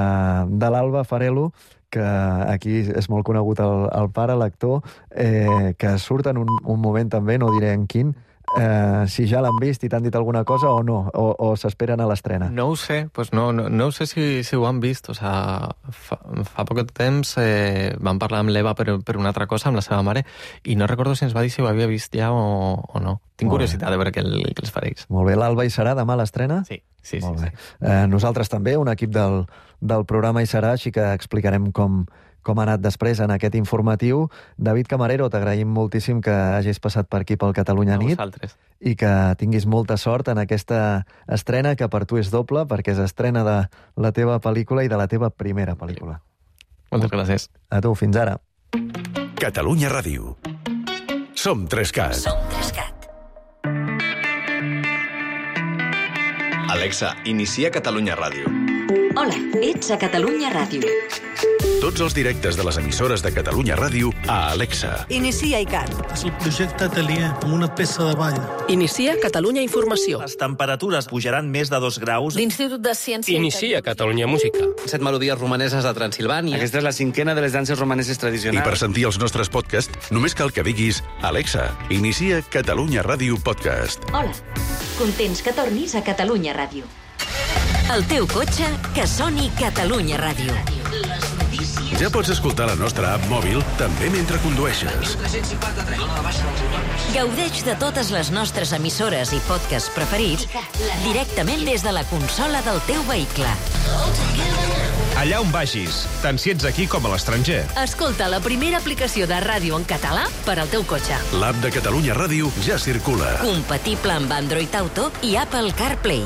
de l'Alba Farelo, que aquí és molt conegut el, el pare, l'actor, eh, que surt en un, un moment també, no diré en quin, eh, si ja l'han vist i t'han dit alguna cosa o no, o, o s'esperen a l'estrena. No ho sé, pues no, no, no ho sé si, si ho han vist. O sea, fa, fa poc temps eh, vam parlar amb l'Eva per, per una altra cosa, amb la seva mare, i no recordo si ens va dir si ho havia vist ja o, o no. Tinc curiositat de veure què, el, què els fareix. Molt bé, l'Alba hi serà demà a l'estrena? Sí, sí, sí. Molt bé. sí. Eh, nosaltres també, un equip del, del programa hi serà, així que explicarem com, com ha anat després en aquest informatiu. David Camarero, t'agraïm moltíssim que hagis passat per aquí pel Catalunya Nit. A vosaltres. I que tinguis molta sort en aquesta estrena, que per tu és doble, perquè és estrena de la teva pel·lícula i de la teva primera pel·lícula. Moltes gràcies. A tu, fins ara. Catalunya Ràdio. Som Trescat. Som Trescat. Alexa, inicia Catalunya Ràdio. Hola, ets a Catalunya Ràdio. Tots els directes de les emissores de Catalunya Ràdio a Alexa. Inicia ICAT. És el projecte Atelier, amb una peça de ball. Inicia Catalunya Informació. Les temperatures pujaran més de dos graus. L'Institut de Ciència... Inicia Catalunya Música. Set melodies romaneses de Transilvània. Aquesta és la cinquena de les danses romaneses tradicionals. I per sentir els nostres podcasts, només cal que diguis Alexa, inicia Catalunya Ràdio Podcast. Hola, contents que tornis a Catalunya Ràdio. El teu cotxe, que soni Catalunya Ràdio. Ja pots escoltar la nostra app mòbil també mentre condueixes. Gaudeix de totes les nostres emissores i podcasts preferits directament des de la consola del teu vehicle. Allà on vagis, tant si ets aquí com a l'estranger. Escolta la primera aplicació de ràdio en català per al teu cotxe. L'app de Catalunya Ràdio ja circula. Compatible amb Android Auto i Apple CarPlay.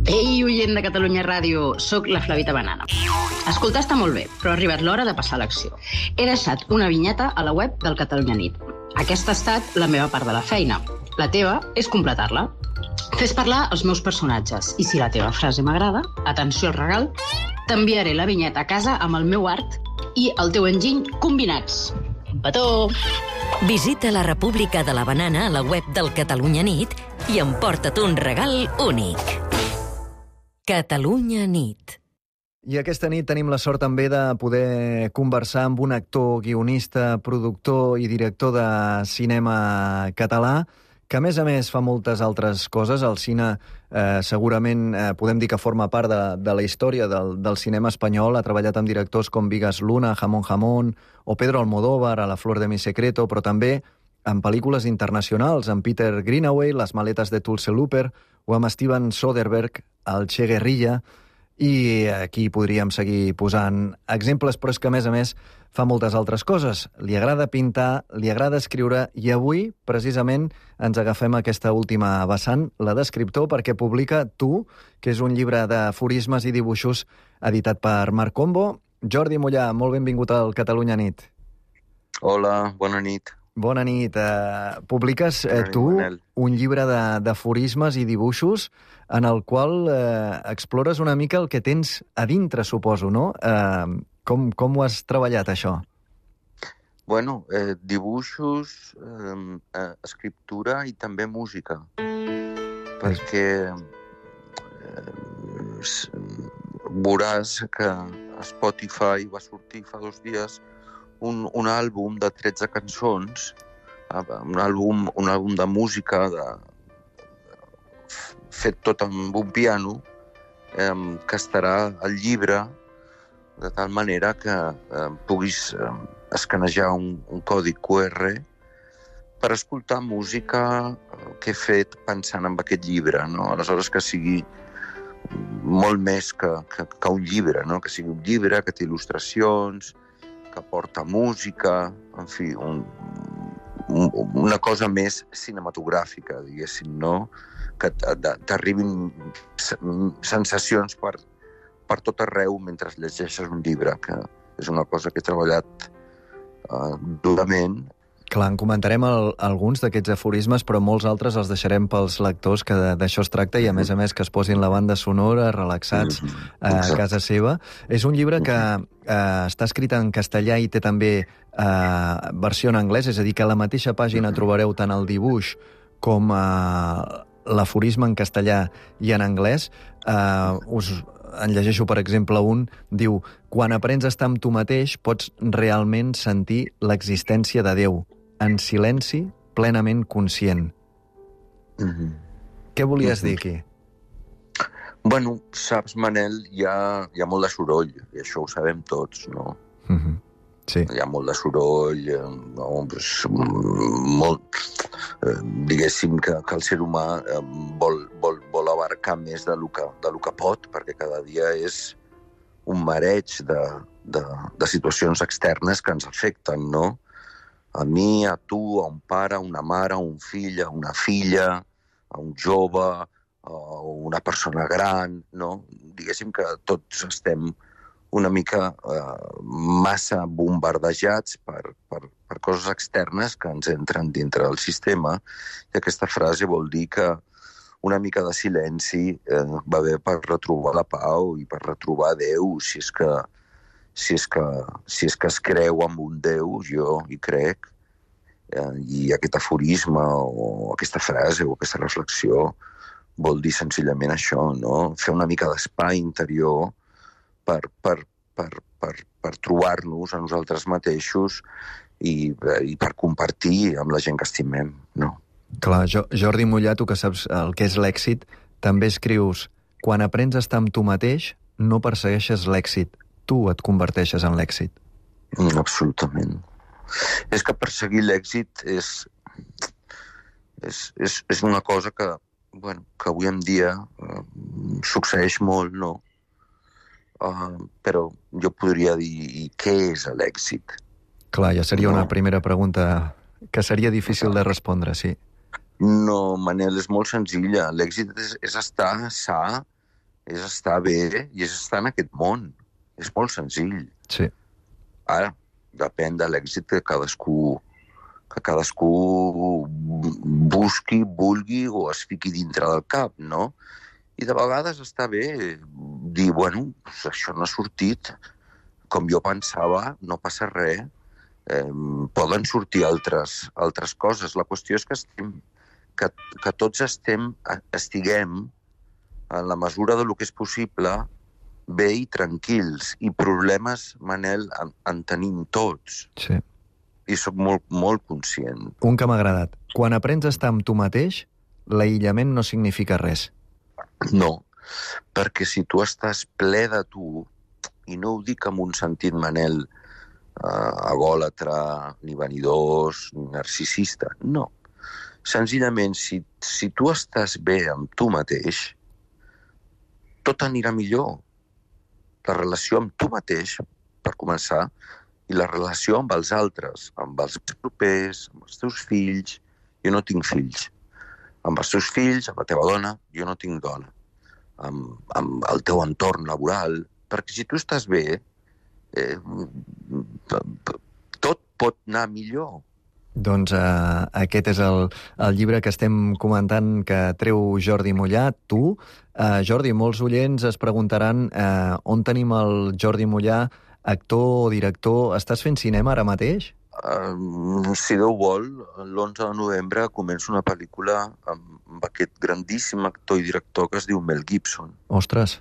Ei, oient de Catalunya Ràdio, sóc la Flavita Banana. Escoltar està molt bé, però ha arribat l'hora de passar a l'acció. He deixat una vinyeta a la web del Catalunya Nit. Aquesta ha estat la meva part de la feina. La teva és completar-la. Fes parlar els meus personatges. I si la teva frase m'agrada, atenció al regal, t'enviaré la vinyeta a casa amb el meu art i el teu enginy combinats. Un petó! Visita la República de la Banana a la web del Catalunya Nit i emporta't un regal únic. Catalunya Nit. I aquesta nit tenim la sort també de poder conversar amb un actor, guionista, productor i director de cinema català, que a més a més fa moltes altres coses. El cine eh, segurament eh, podem dir que forma part de, de la història del, del cinema espanyol. Ha treballat amb directors com Vigas Luna, Jamón Jamón o Pedro Almodóvar a La flor de mi secreto, però també en pel·lícules internacionals, amb Peter Greenaway, Les maletes de Tulse Looper, o amb Steven Soderbergh, El Che Guerrilla, i aquí podríem seguir posant exemples, però és que, a més a més, fa moltes altres coses. Li agrada pintar, li agrada escriure, i avui, precisament, ens agafem aquesta última vessant, la d'escriptor, perquè publica Tu, que és un llibre d'aforismes i dibuixos editat per Marc Combo. Jordi Mollà, molt benvingut al Catalunya Nit. Hola, bona nit. Bona nit. Uh, publiques uh, tu un llibre d'aforismes i dibuixos en el qual uh, explores una mica el que tens a dintre, suposo, no? Uh, com, com ho has treballat, això? Bueno, eh, dibuixos, eh, eh, escriptura i també música. Perquè eh, veuràs que a Spotify va sortir fa dos dies Un, un àlbum de tretze cançons, un àlbum, un àlbum de música de, fet tot amb un piano, eh, que estarà al llibre de tal manera que eh, puguis eh, escanejar un, un codi Q R per escoltar música que he fet pensant en aquest llibre, no? Aleshores que sigui molt més que, que, que un llibre, no? Que sigui un llibre que té il·lustracions, que porta música, en fi, un, un, una cosa més cinematogràfica, diguéssim, no? Que t'arribin sensacions per, per tot arreu mentre llegeixes un llibre, que és una cosa que he treballat uh, durament. Clar, en comentarem el, alguns d'aquests aforismes, però molts altres els deixarem pels lectors, que d'això es tracta, i a més a més que es posin la banda sonora, relaxats a casa seva. És un llibre que eh, està escrit en castellà i té també eh, versió en anglès, és a dir, que a la mateixa pàgina trobareu tant el dibuix com eh, l'aforisme en castellà i en anglès. Eh, us en llegeixo, per exemple, un, diu: quan aprens a estar amb tu mateix, pots realment sentir l'existència de Déu, en silenci, plenament conscient. Mm-hmm. Què volies mm-hmm. dir aquí? Bueno, saps, Manel, hi ha, hi ha molt de soroll, i això ho sabem tots, no? Mm-hmm. Sí. Hi ha molt de soroll, no? Pues, molt, eh, diguéssim que, que el ser humà eh, vol, vol, vol abarcar més de lo, que, de lo que pot, perquè cada dia és un mareig de, de, de situacions externes que ens afecten, no? A mi, a tu, a un pare, a una mare, a un fill, a una filla, a un jove, a una persona gran, no? Diguéssim que tots estem una mica eh, massa bombardejats per, per, per coses externes que ens entren dintre del sistema, i aquesta frase vol dir que una mica de silenci eh, va bé per retrobar la pau i per retrobar Déu, si és que, si és que, si és que es creu en un Déu, jo hi crec, eh, i aquest aforisme o aquesta frase o aquesta reflexió vol dir senzillament això, no? Fer una mica d'espai interior per, per, per, per, per trobar-nos a nosaltres mateixos i, i per compartir amb la gent que estimem, no? Clar, jo, Jordi Mollà, tu que saps el que és l'èxit, també escrius: quan aprens a estar amb tu mateix, no persegueixes l'èxit, tu et converteixes en l'èxit. Mm, absolutament. És que perseguir l'èxit és, és, és, és una cosa que, bueno, que avui en dia uh, succeeix molt, no? Uh, però jo podria dir, i què és l'èxit? Clar, ja seria no. una primera pregunta que seria difícil de respondre, sí. No, Manel, és molt senzilla. L'èxit és, és estar sa, és estar bé i és estar en aquest món. És molt senzill. Sí. Ara, depèn de l'èxit que cadascú, que cadascú busqui, vulgui o es fiqui dintre del cap, no? I de vegades està bé dir, bueno, això no ha sortit com jo pensava, no passa res. Eh, poden sortir altres, altres coses. La qüestió és que, estem, que, que tots estem, estiguem, en la mesura de lo que és possible, bé i tranquils. I problemes, Manel, en, en tenim tots. Sí. I soc molt, molt conscient. Un que m'ha agradat. Quan aprens a estar amb tu mateix, l'aïllament no significa res. No, perquè si tu estàs ple de tu, i no ho dic amb un sentit, Manel, Uh, agòlatra, ni vanidós, ni narcisista. No. Senzillament, si, si tu estàs bé amb tu mateix, tot anirà millor. La relació amb tu mateix, per començar, i la relació amb els altres, amb els propers, amb els teus fills. Jo no tinc fills. Amb els teus fills, amb la teva dona, jo no tinc dona. Amb, amb el teu entorn laboral. Perquè si tu estàs bé, Eh, tot pot anar millor. Doncs uh, aquest és el, el llibre que estem comentant que treu Jordi Mollà, tu. Uh, Jordi, molts oients es preguntaran uh, on tenim el Jordi Mollà, actor o director. Estàs fent cinema ara mateix? Uh, si Déu vol, l'onze de novembre començo una pel·lícula amb, amb aquest grandíssim actor i director que es diu Mel Gibson. Ostres,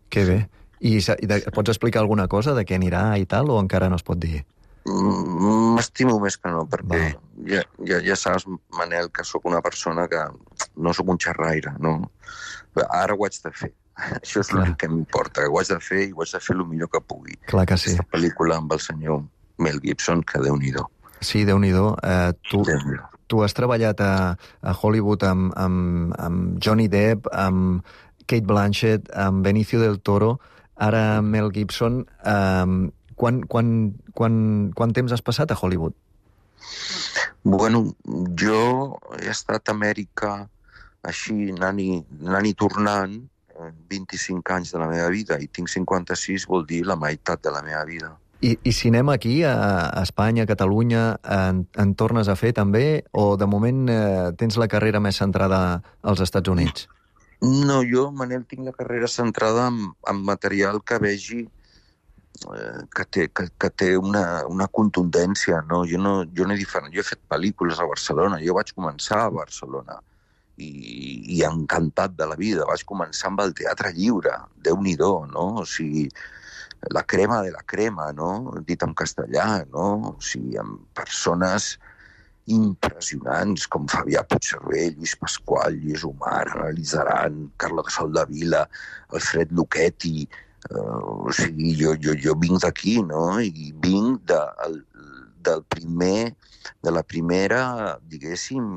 que bé. I de, pots explicar alguna cosa de què anirà i tal, o encara no es pot dir? M'estimo més que no, perquè ja, ja, ja saps, Manel, que sóc una persona que no sóc un xerraire, no? Ara ho haig de fer. Això és l'únic que m'importa, que ho haig de fer i ho haig de fer el millor que pugui. Clar que sí. Aquesta pel·lícula amb el senyor Mel Gibson, que Déu-n'hi-do. Sí, Déu-n'hi-do. Uh, tu, tu has treballat a, a Hollywood amb, amb, amb Johnny Depp, amb Kate Blanchett, amb Benicio del Toro, ara amb Mel Gibson. Um, quan, quan, quan, quan temps has passat a Hollywood? Bueno, jo he estat a Amèrica així, anant i, anant i tornant, vint-i-cinc anys de la meva vida, i tinc cinquanta-sis, vol dir la meitat de la meva vida. I, i cinema aquí, a, a Espanya, a Catalunya, en, en tornes a fer també? O de moment eh, tens la carrera més centrada als Estats Units? No, jo, Manel, tinc la carrera centrada en, en material que vegi eh, que té, que, que té una, una contundència, no? Jo no, jo no he diferent. Jo he fet pel·lícules a Barcelona, jo vaig començar a Barcelona i, i encantat de la vida. Vaig començar amb el teatre lliure, Déu-n'hi-do, no? O sigui, la crema de la crema, no? Dit en castellà, no? O sigui, amb persones impressionants com Fabià Puigcervell, Lluís Pasqual, Lluís Omar, Ana Lizaran, Carla de Soldavila, Alfred Lucchetti. Uh, o sigui, jo, jo, jo vinc d'aquí, no? I vinc de, el, del primer, de la primera, diguéssim,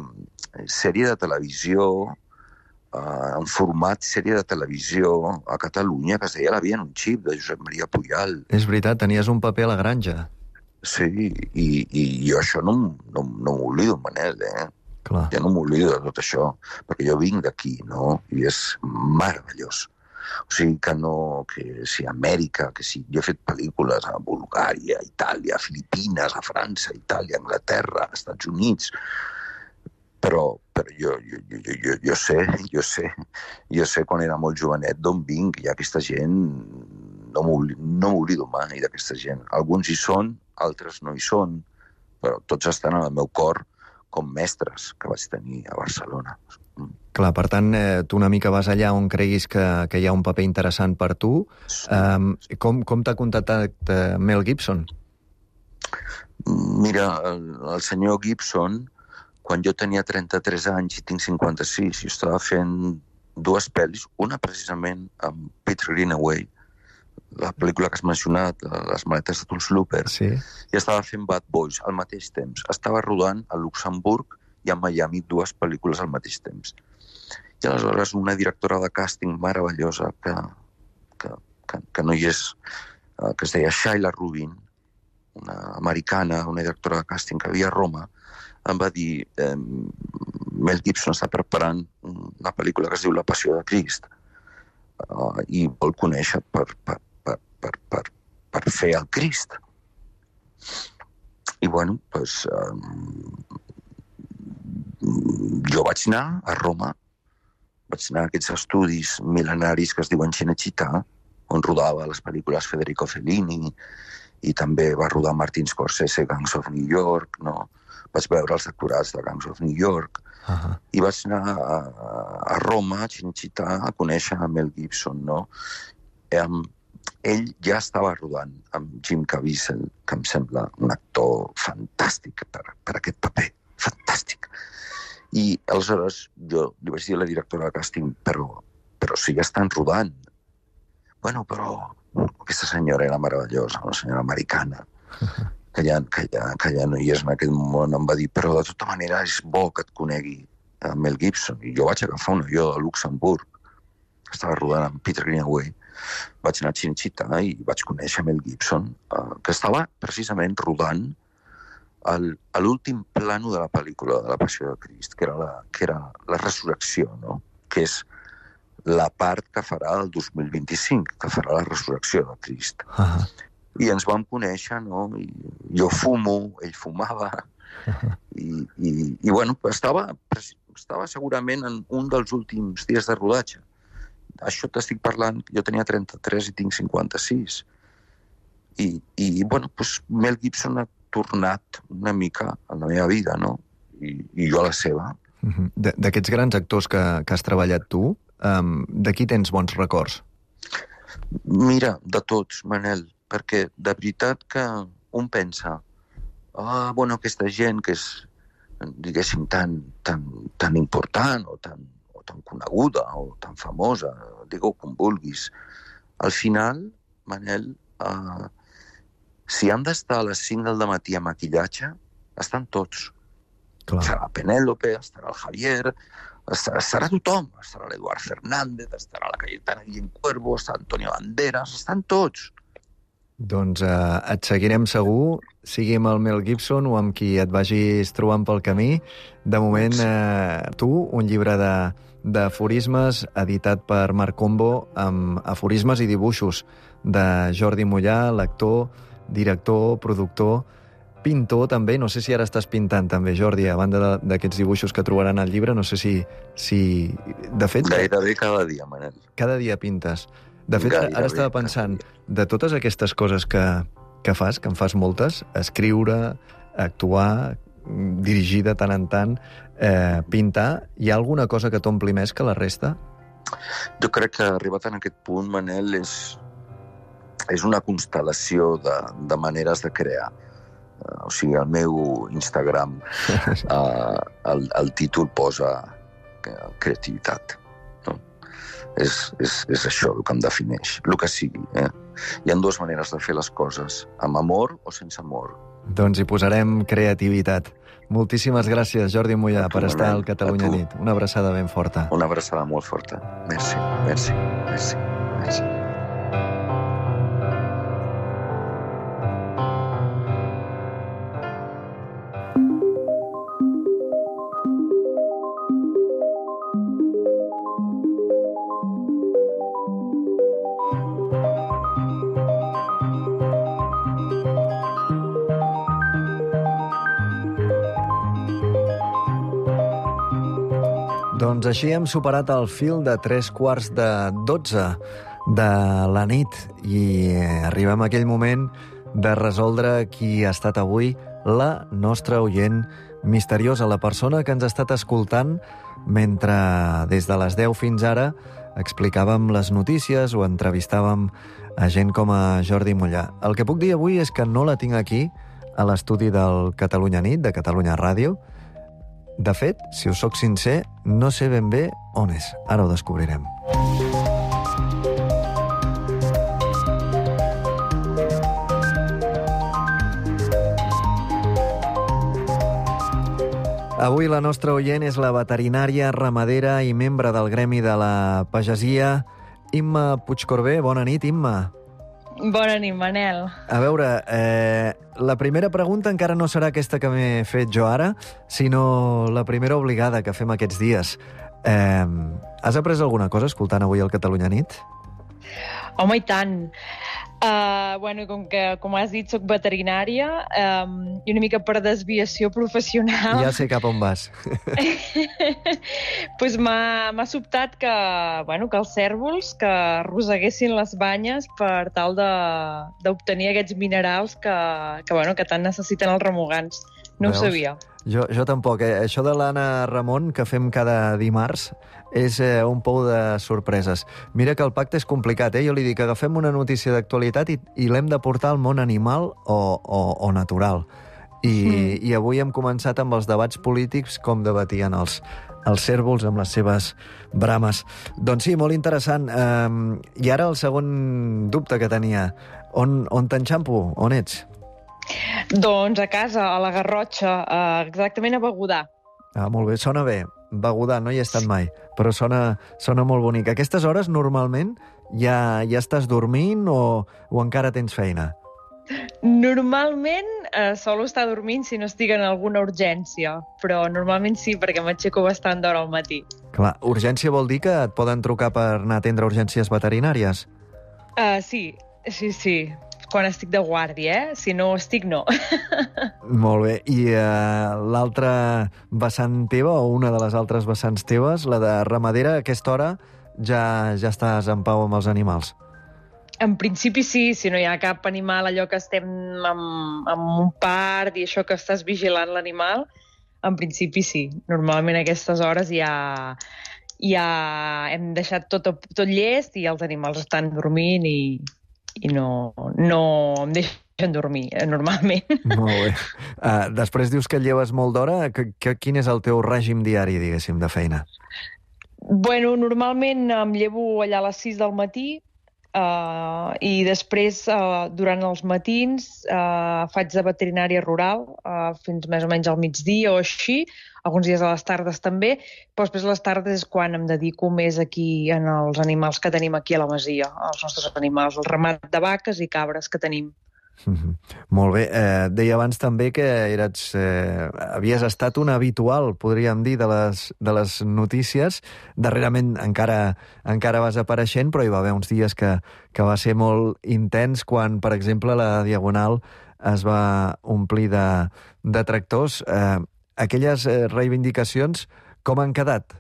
sèrie de televisió, uh, en format sèrie de televisió a Catalunya, que es deia La via en un xip, de Josep Maria Pujal. És veritat, tenies un paper a la granja. Sí, i, i jo això no, no, no m'oblido, Manel, eh? Clar. Ja no m'oblido de tot això, perquè jo vinc d'aquí, no? I és meravellós. O sigui, que no... que si a Amèrica, que si... Jo he fet pel·lícules a Bulgària, a Itàlia, a Filipines, a França, a Itàlia, a Anglaterra, als Estats Units, però, però jo, jo, jo, jo, jo sé, jo sé, jo sé quan era molt jovenet d'on vinc, i aquesta gent no m'oblido mai d'aquesta gent. Alguns hi són, altres no hi són, però tots estan en el meu cor com mestres que vaig tenir a Barcelona. Clar, per tant, eh, tu una mica vas allà on creguis que, que hi ha un paper interessant per tu. Sí. Um, com com t'ha contactat eh, Mel Gibson? Mira, el, el senyor Gibson, quan jo tenia trenta-tres anys i tinc cinquanta-sis, jo estava fent dues pel·lis, una precisament amb Peter Greenaway, la pel·lícula que has mencionat, Les maletes de Tuls Looper, sí. I estava fent Bad Boys al mateix temps. Estava rodant a Luxemburg i a Miami dues pel·lícules al mateix temps. I aleshores una directora de càsting meravellosa que, que, que, que no hi és, que es deia Sheila Rubin, una americana, una directora de càsting que havia a Roma, em va dir eh, Mel Gibson està preparant una pel·lícula que es diu La Passió de Crist uh, i vol conèixer per, per, per, per, per, per fer el Crist. I bueno, doncs, um, jo vaig anar a Roma, vaig anar a aquests estudis mil·lenaris que es diuen Cinecittà, on rodava les pel·lícules Federico Fellini, i també va rodar Martin Scorsese, Gangs of New York, no? Vaig veure els actorats de Gangs of New York, uh-huh. I vaig anar a, a Roma, a Cinecittà, a conèixer a Mel Gibson, no? Um, ell ja estava rodant amb Jim Caviezel, que em sembla un actor fantàstic per, per aquest paper, fantàstic. I aleshores jo li vaig dir a la directora de càsting, però, però si ja estan rodant. Bueno, però aquesta senyora era meravellosa, una senyora americana, que ja, que, ja, que ja no hi és en aquest món, em va dir, però de tota manera és bo que et conegui a Mel Gibson. I jo vaig agafar un avió a Luxemburg, que estava rodant amb Peter Greenaway, vaig anar a Cinecittà i vaig conèixer Mel Gibson, uh, que estava precisament rodant el, a l'últim plano de la pel·lícula de La Passió de Crist, que era la, que era la resurrecció, no? Que és la part que farà el dos mil vint-i-cinc, que farà la resurrecció de Crist. Uh-huh. I ens vam conèixer, no? I jo fumo, ell fumava, uh-huh. I, i, i bueno, estava, estava segurament en un dels últims dies de rodatge. Això t'estic parlant, jo tenia trenta-tres i tinc cinquanta-sis. I, i bueno, doncs Mel Gibson ha tornat una mica a la meva vida, no? I, i jo a la seva. Uh-huh. D'aquests grans actors que, que has treballat tu, um, de qui tens bons records? Mira, de tots, Manel, perquè de veritat que un pensa, ah, bueno, aquesta gent que és, diguéssim, tan, tan, tan important o tan, o tan coneguda o tan famosa, digue-ho com vulguis. Al final, Manel, eh, si han d'estar a les cinc del matí a maquillatge, estan tots. Clar. Estarà Penèlope, estarà el Javier, estarà, estarà tothom. Estarà l'Eduard Fernández, estarà la Cayetana Guillén Cuervo, estarà Antonio Banderas, estan tots. Doncs eh, et seguirem segur, sigui amb el Mel Gibson o amb qui et vagis trobant pel camí. De moment, eh, tu, un llibre de, d'aforismes editat per Marc Combo, amb aforismes i dibuixos de Jordi Mollà, l'actor, director, productor, pintor també. No sé si ara estàs pintant també, Jordi, a banda d'aquests dibuixos que trobaran al llibre. No sé si... si... De fet... Gairebé cada dia, Manel. Cada dia pintes. De fet, Gairebé, ara estava pensant, de totes aquestes coses que, que fas, que en fas moltes, escriure, actuar, dirigir de tant en tant, eh, pintar, hi ha alguna cosa que t'ompli més que la resta? Jo crec que arribat en aquest punt, Manel, és, és una constel·lació de, de maneres de crear. Uh, o sigui, al meu Instagram uh, el, el títol posa creativitat. És, és, és això el que em defineix, el que sigui. Eh? Hi ha dues maneres de fer les coses, amb amor o sense amor. Doncs hi posarem creativitat. Moltíssimes gràcies, Jordi Mollà, per estar al Catalunya Nit. Una abraçada ben forta. Una abraçada molt forta. Merci, merci, merci, merci. Doncs així hem superat el fil de tres quarts de dotze de la nit i arribem a aquell moment de resoldre qui ha estat avui la nostra oient misteriosa, la persona que ens ha estat escoltant mentre des de les deu fins ara explicàvem les notícies o entrevistàvem a gent com a Jordi Mollà. El que puc dir avui és que no la tinc aquí, a l'estudi del Catalunya Nit, de Catalunya Ràdio. De fet, si us soc sincer, no sé ben bé on és. Ara ho descobrirem. Avui la nostra oient és la veterinària, ramadera i membre del gremi de la pagesia, Imma Puigcorbé. Bona nit, Imma. Bona nit, Manel. A veure, eh, la primera pregunta encara no serà aquesta que m'he fet jo ara, sinó la primera obligada que fem aquests dies. Eh, has après alguna cosa escoltant avui el Catalunya Nit? Home, i tant. Uh, bueno, com que, com has dit, soc veterinària um, i una mica per desviació professional... Ja sé cap on vas. pues m'ha sobtat que, bueno, que els cérvols que arrosseguessin les banyes per tal d'obtenir aquests minerals que, que, bueno, que tant necessiten els remugants. No Veus? Ho sabia. Jo, jo tampoc. Eh? Això de l'Anna Ramon, que fem cada dimarts, és eh, un pou de sorpreses. Mira que el pacte és complicat, eh? Jo li dic, agafem una notícia d'actualitat i, i l'hem de portar al món animal o, o, o natural. I, mm. I avui hem començat amb els debats polítics, com debatien els, els cérvols amb les seves brames. Doncs sí, molt interessant. Um, I ara el segon dubte que tenia. On, on t'enxampo? On ets? Doncs a casa, a la Garrotxa, exactament a Begudà. Ah, molt bé, sona bé. Begudà, no hi he estat mai, però sona, sona molt bonic. A aquestes hores, normalment, ja, ja estàs dormint o, o encara tens feina? Normalment eh, solo estar dormint si no estic en alguna urgència, però normalment sí, perquè m'aixeco bastant d'hora al matí. Clar, urgència vol dir que et poden trucar per anar a atendre urgències veterinàries? Uh, sí, sí, sí. Quan estic de guàrdia, eh? Si no estic, no. Molt bé. I uh, l'altra vessant teva, o una de les altres vessants teves, la de ramadera, a aquesta hora ja, ja estàs en pau amb els animals? En principi sí, si no hi ha cap animal, allò que estem amb, amb un part i això que estàs vigilant l'animal, en principi sí. Normalment a aquestes hores ja, ja hem deixat tot, tot llest i els animals estan dormint i... i no, no em deixen dormir, eh, normalment. Molt bé. Uh, després dius que lleves molt d'hora. Que, que, quin és el teu règim diari, diguéssim, de feina? Bueno, normalment em llevo allà a les sis del matí Uh, I després, uh, durant els matins, uh, faig de veterinària rural uh, fins més o menys al migdia o així, alguns dies a les tardes també, però després a les tardes és quan em dedico més aquí en els animals que tenim aquí a la masia, els nostres animals, el ramat de vaques i cabres que tenim. Mm-hmm. Molt bé. Eh, deia abans també que eres, eh, havies estat un habitual, podríem dir, de les, de les notícies. Darrerament encara, encara vas apareixent, però hi va haver uns dies que, que va ser molt intens quan, per exemple, la Diagonal es va omplir de, de tractors. Eh, aquelles eh, reivindicacions, com han quedat?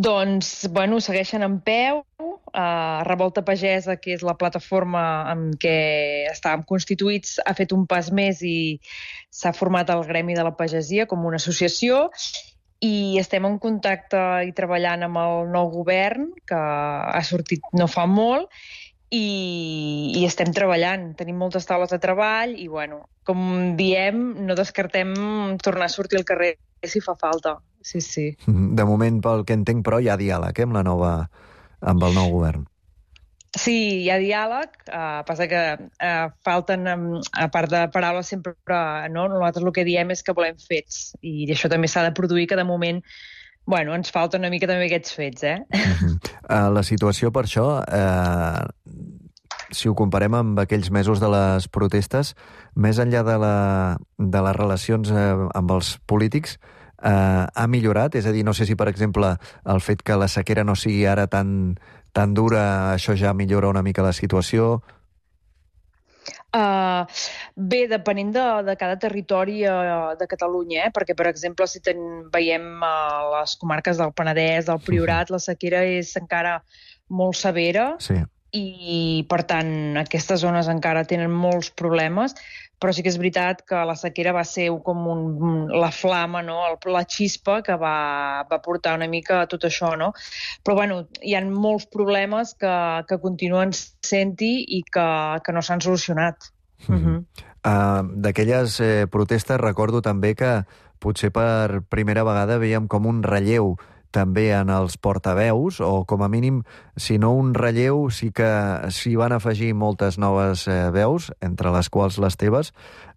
Doncs, bueno, segueixen en peu. Uh, Revolta Pagesa, que és la plataforma amb què estàvem constituïts, ha fet un pas més i s'ha format el Gremi de la Pagesia com una associació i estem en contacte i treballant amb el nou govern, que ha sortit no fa molt, i, i estem treballant. Tenim moltes taules de treball i, bueno, com diem, no descartem tornar a sortir al carrer si fa falta. Sí, sí. De moment, pel que entenc, però, hi ha diàleg, eh, amb la nova... amb el nou govern. Sí, hi ha diàleg, uh, passa que uh, falten, um, a part de paraules, sempre, no? Nosaltres el que diem és que volem fets, i això també s'ha de produir, que de moment, bueno, ens falta una mica també aquests fets, eh? Uh-huh. Uh, la situació, per això, uh, si ho comparem amb aquells mesos de les protestes, més enllà de, la, de les relacions uh, amb els polítics, Uh, ha millorat? És a dir, no sé si, per exemple, el fet que la sequera no sigui ara tan, tan dura, això ja millora una mica la situació? Uh, bé, depenent de, de cada territori uh, de Catalunya, eh? Perquè, per exemple, si ten, veiem uh, les comarques del Penedès, del Priorat, la sequera és encara molt severa. Sí. I, per tant, aquestes zones encara tenen molts problemes, però sí que és veritat que la sequera va ser com un, la flama, no? La xispa que va, va portar una mica a tot això, no? Però, bueno, hi ha molts problemes que, que continuen sent-hi i que, que no s'han solucionat. Mm-hmm. Uh, d'aquelles eh, protestes recordo també que potser per primera vegada veiem com un relleu també en els portaveus, o com a mínim, si no un relleu, sí que s'hi van afegir moltes noves eh, veus, entre les quals les teves,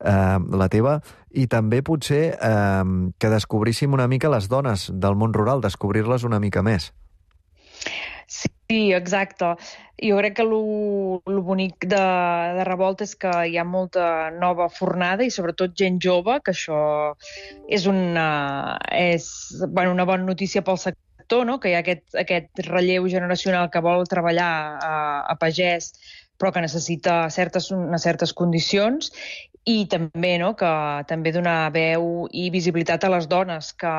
eh, la teva, i també potser eh, que descobríssim una mica les dones del món rural, descobrir-les una mica més. Sí, exacte. Jo crec que lo, lo bonic de, de Revolta és que hi ha molta nova fornada i sobretot gent jove, que això és una, és, bueno, una bona notícia pel sector, no? Que hi ha aquest, aquest relleu generacional que vol treballar a, a pagès però que necessita certes, unes certes condicions, i també, no? Que també donar veu i visibilitat a les dones que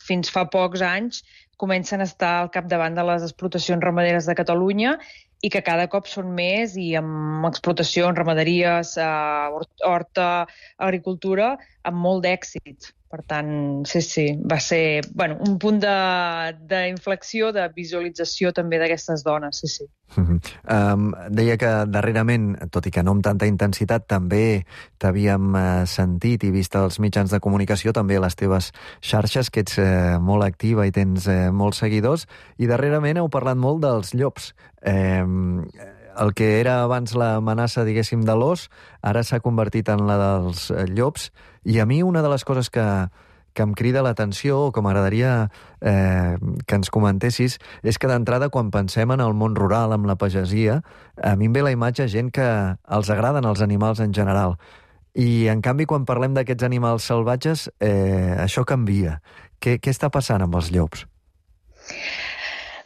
fins fa pocs anys comencen a estar al capdavant de les explotacions ramaderes de Catalunya i que cada cop són més i amb explotacions, ramaderies, eh, horta, agricultura, amb molt d'èxit. Per tant, sí, sí, va ser bueno, un punt d'inflexió, de, de visualització també d'aquestes dones, sí, sí. Uh-huh. Um, deia que darrerament, tot i que no amb tanta intensitat, també t'havíem uh, sentit i vist als mitjans de comunicació, també a les teves xarxes, que ets uh, molt activa i tens uh, molts seguidors, i darrerament heu parlat molt dels llops. Um, el que era abans l'amenaça, diguéssim, de l'os, ara s'ha convertit en la dels llops, i a mi una de les coses que, que em crida l'atenció, o que m'agradaria eh, que ens comentessis, és que d'entrada, quan pensem en el món rural, amb la pagesia, a mi em ve la imatge gent que els agraden els animals en general. I, en canvi, quan parlem d'aquests animals salvatges, eh, això canvia. Què, què està passant amb els llops?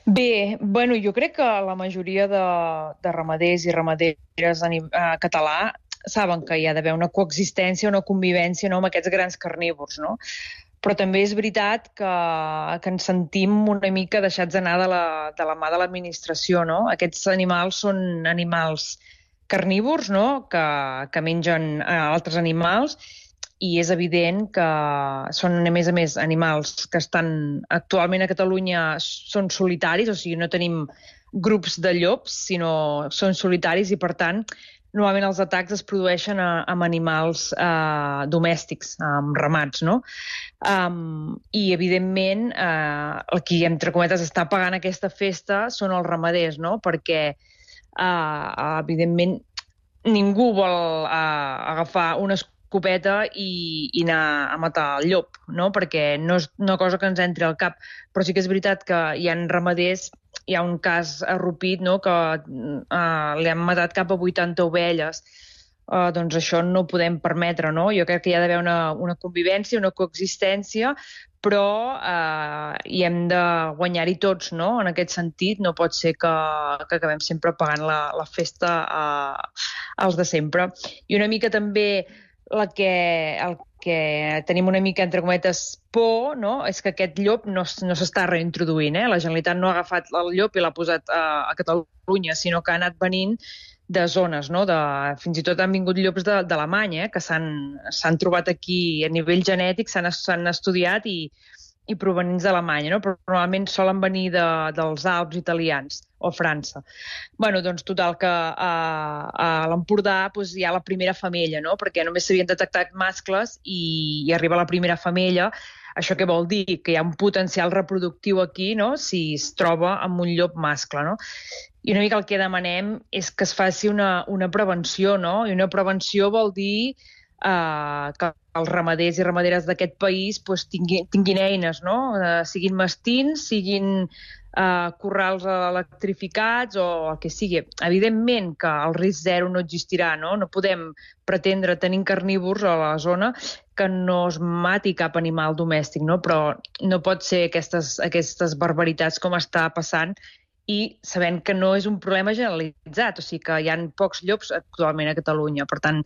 Bé, bueno, jo crec que la majoria de, de ramaders i ramaderes a, a català saben que hi ha d'haver una coexistència, una convivència, no?, amb aquests grans carnívors, no? Però també és veritat que, que ens sentim una mica deixats anar de la, de la mà de l'administració, no? Aquests animals són animals carnívors, no?, que, que mengen altres animals, i és evident que són, a més a més, animals que estan actualment a Catalunya són solitaris, o sigui, no tenim grups de llops, sinó són solitaris i, per tant, normalment els atacs es produeixen a, amb animals eh, domèstics, amb ramats, no? Um, I, evidentment, eh, el qui, entre cometes, està pagant aquesta festa són els ramaders, no? Perquè, eh, evidentment, ningú vol eh, agafar una escopeta i, i anar a matar el llop, no? Perquè no és una cosa que ens entri al cap. Però sí que és veritat que hi ha ramaders, hi ha un cas arrupit, no?, que uh, li han matat cap a vuitanta ovelles. Uh, doncs això no ho podem permetre, no? Jo crec que hi ha d'haver una, una convivència, una coexistència, però uh, hi hem de guanyar-hi tots, no?, en aquest sentit. No pot ser que, que acabem sempre pagant la, la festa uh, als de sempre. I una mica també la que, el que tenim una mica, entre cometes, por, no?, és que aquest llop no, no s'està reintroduint. Eh? La Generalitat no ha agafat el llop i l'ha posat a, a Catalunya, sinó que ha anat venint de zones, no? De, fins i tot han vingut llops d'Alemanya, eh? Que s'han trobat aquí a nivell genètic, s'han estudiat i, i provenents d'Alemanya, no? Però normalment solen venir de, dels Alps italians o França. Bueno, doncs total que a, a l'Empordà doncs, hi ha la primera femella, no? Perquè només s'havien detectat mascles i, i arriba la primera femella. Això què vol dir? Que hi ha un potencial reproductiu aquí, no?, si es troba amb un llop mascle, no? I una mica el que demanem és que es faci una, una prevenció, no? I una prevenció vol dir eh, que els ramaders i ramaderes d'aquest país pues, tinguin, tinguin eines, no? Eh, siguin mastins, siguin Uh, corrals electrificats o el que sigui. Evidentment que el risc zero no existirà, no? No podem pretendre tenir carnívors a la zona que no es mati cap animal domèstic, no? Però no pot ser aquestes, aquestes barbaritats com està passant i sabent que no és un problema generalitzat, o sigui que hi ha pocs llops actualment a Catalunya. Per tant,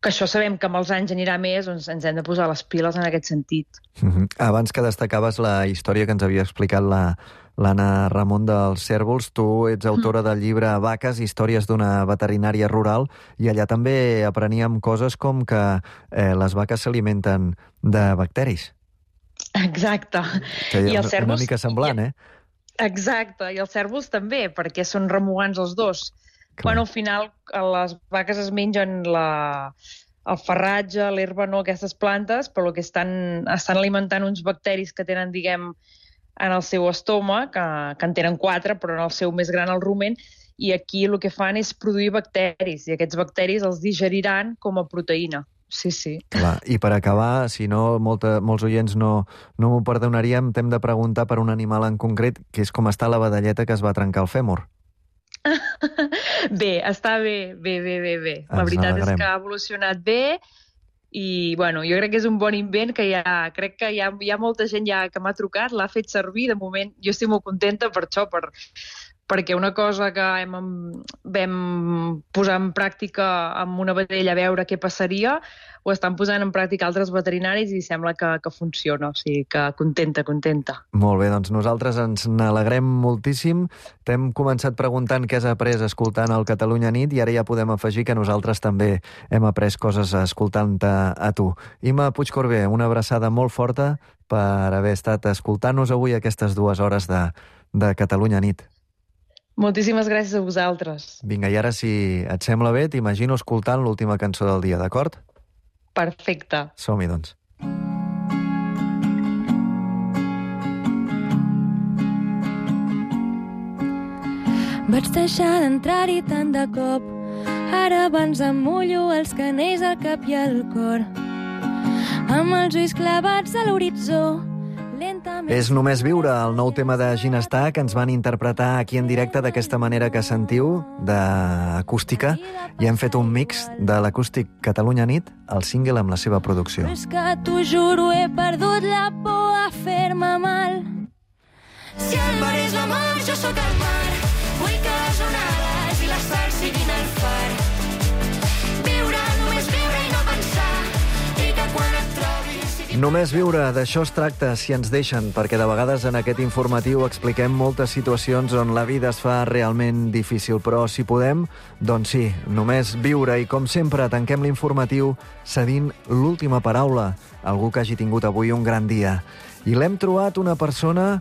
que això sabem que amb els anys anirà més, doncs ens hem de posar les piles en aquest sentit. Mm-hmm. Abans que destacaves la història que ens havia explicat la l'Anna Ramon dels Cérvols, tu ets autora del llibre Vaques, històries d'una veterinària rural, i allà també apreníem coses com que eh, les vaques s'alimenten de bacteris. Exacte. Que I és una mica semblant, eh? Exacte, i els cérvols també, perquè són remugants els dos. Clar. Bueno, al final les vaques es mengen la... el farratge, l'herba, no, aquestes plantes, però el que estan, estan alimentant uns bacteris que tenen, diguem, en el seu estómac, que, que en tenen quatre, però en el seu més gran el rumen, i aquí el que fan és produir bacteris, i aquests bacteris els digeriran com a proteïna. Sí, sí. Clar. I per acabar, si no, molta, molts oients no, no m'ho perdonaríem, t'hem de preguntar per un animal en concret, que és com està la vedelleta que es va trencar el fèmur. Bé, està bé, bé, bé, bé, bé. La Ens veritat alegrem. és que ha evolucionat bé i, bueno, jo crec que és un bon invent que ja, crec que hi ha, hi ha molta gent ja que m'ha trucat, l'ha fet servir, de moment jo estic molt contenta per això, per, perquè una cosa que hem, vam posar en pràctica amb una vedella a veure què passaria, ho estan posant en pràctica altres veterinaris i sembla que, que funciona, o sigui que contenta, contenta. Molt bé, doncs nosaltres ens n'alegrem moltíssim. T'hem començat preguntant què has après escoltant el Catalunya Nit i ara ja podem afegir que nosaltres també hem après coses escoltant-te a tu. Ima Puigcorbé, una abraçada molt forta per haver estat escoltant-nos avui aquestes dues hores de, de Catalunya Nit. Moltíssimes gràcies a vosaltres. Vinga, i ara, si et sembla bé, t'imagino escoltant l'última cançó del dia, d'acord? Perfecte. Som-hi, doncs. Vaig deixar d'entrar-hi tant de cop, ara abans em mullo els canells al cap i al cor, amb els ulls clavats a l'horitzó. És Només viure, el nou tema de Ginestar, que ens van interpretar aquí en directe d'aquesta manera que sentiu, d'acústica, i hem fet un mix de l'acústic Catalunya Nit, el single amb la seva producció. Però és que t'ho juro, he perdut la por a fer-me mal. Si el mar és la mar, jo sóc el mar. Vull que les onades i la sal siguin el far. Viure, només viure i no pensar, i que quan et trobis... Només viure, d'això es tracta, si ens deixen, perquè de vegades en aquest informatiu expliquem moltes situacions on la vida es fa realment difícil, però si podem, doncs sí, només viure. I com sempre, tanquem l'informatiu cedint l'última paraula a algú que hagi tingut avui un gran dia. I l'hem trobat una persona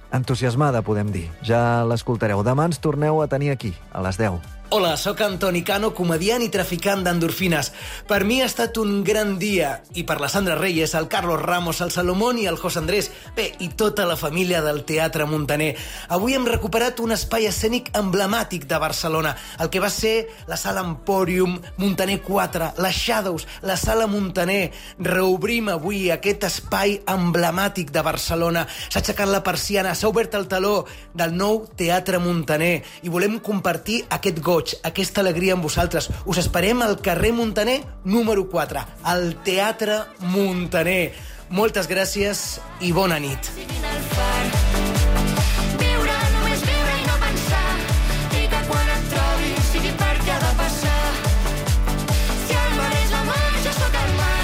entusiasmada, podem dir. Ja l'escoltareu. Demà ens torneu a tenir aquí, a les deu. Hola, sóc Antoni Cano, comediant i traficant d'endorfines. Per mi ha estat un gran dia, i per la Sandra Reyes, el Carlos Ramos, el Salomón i el José Andrés, bé, i tota la família del Teatre Muntaner. Avui hem recuperat un espai escènic emblemàtic de Barcelona, el que va ser la Sala Emporium, Muntaner quatre, la Shadows, la Sala Muntaner. Reobrim avui aquest espai emblemàtic de Barcelona. S'ha aixecat la persiana, s'ha obert el taló del nou Teatre Muntaner i volem compartir aquest goig, aquesta alegria amb vosaltres. Us esperem al carrer Muntaner número quatre, al Teatre Muntaner. Moltes gràcies i bona nit. Viure, només viure i no pensar, i que quan et trobi sigui perquè ha de passar. Si el mar és la mar, jo sóc el mar,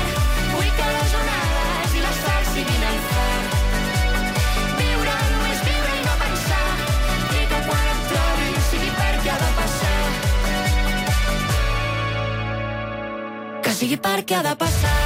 vull que les onades i les stars siguin el far. Viure, només viure i no pensar, i que quan et trobi sigui perquè ha de passar. Que sigui perquè ha de passar.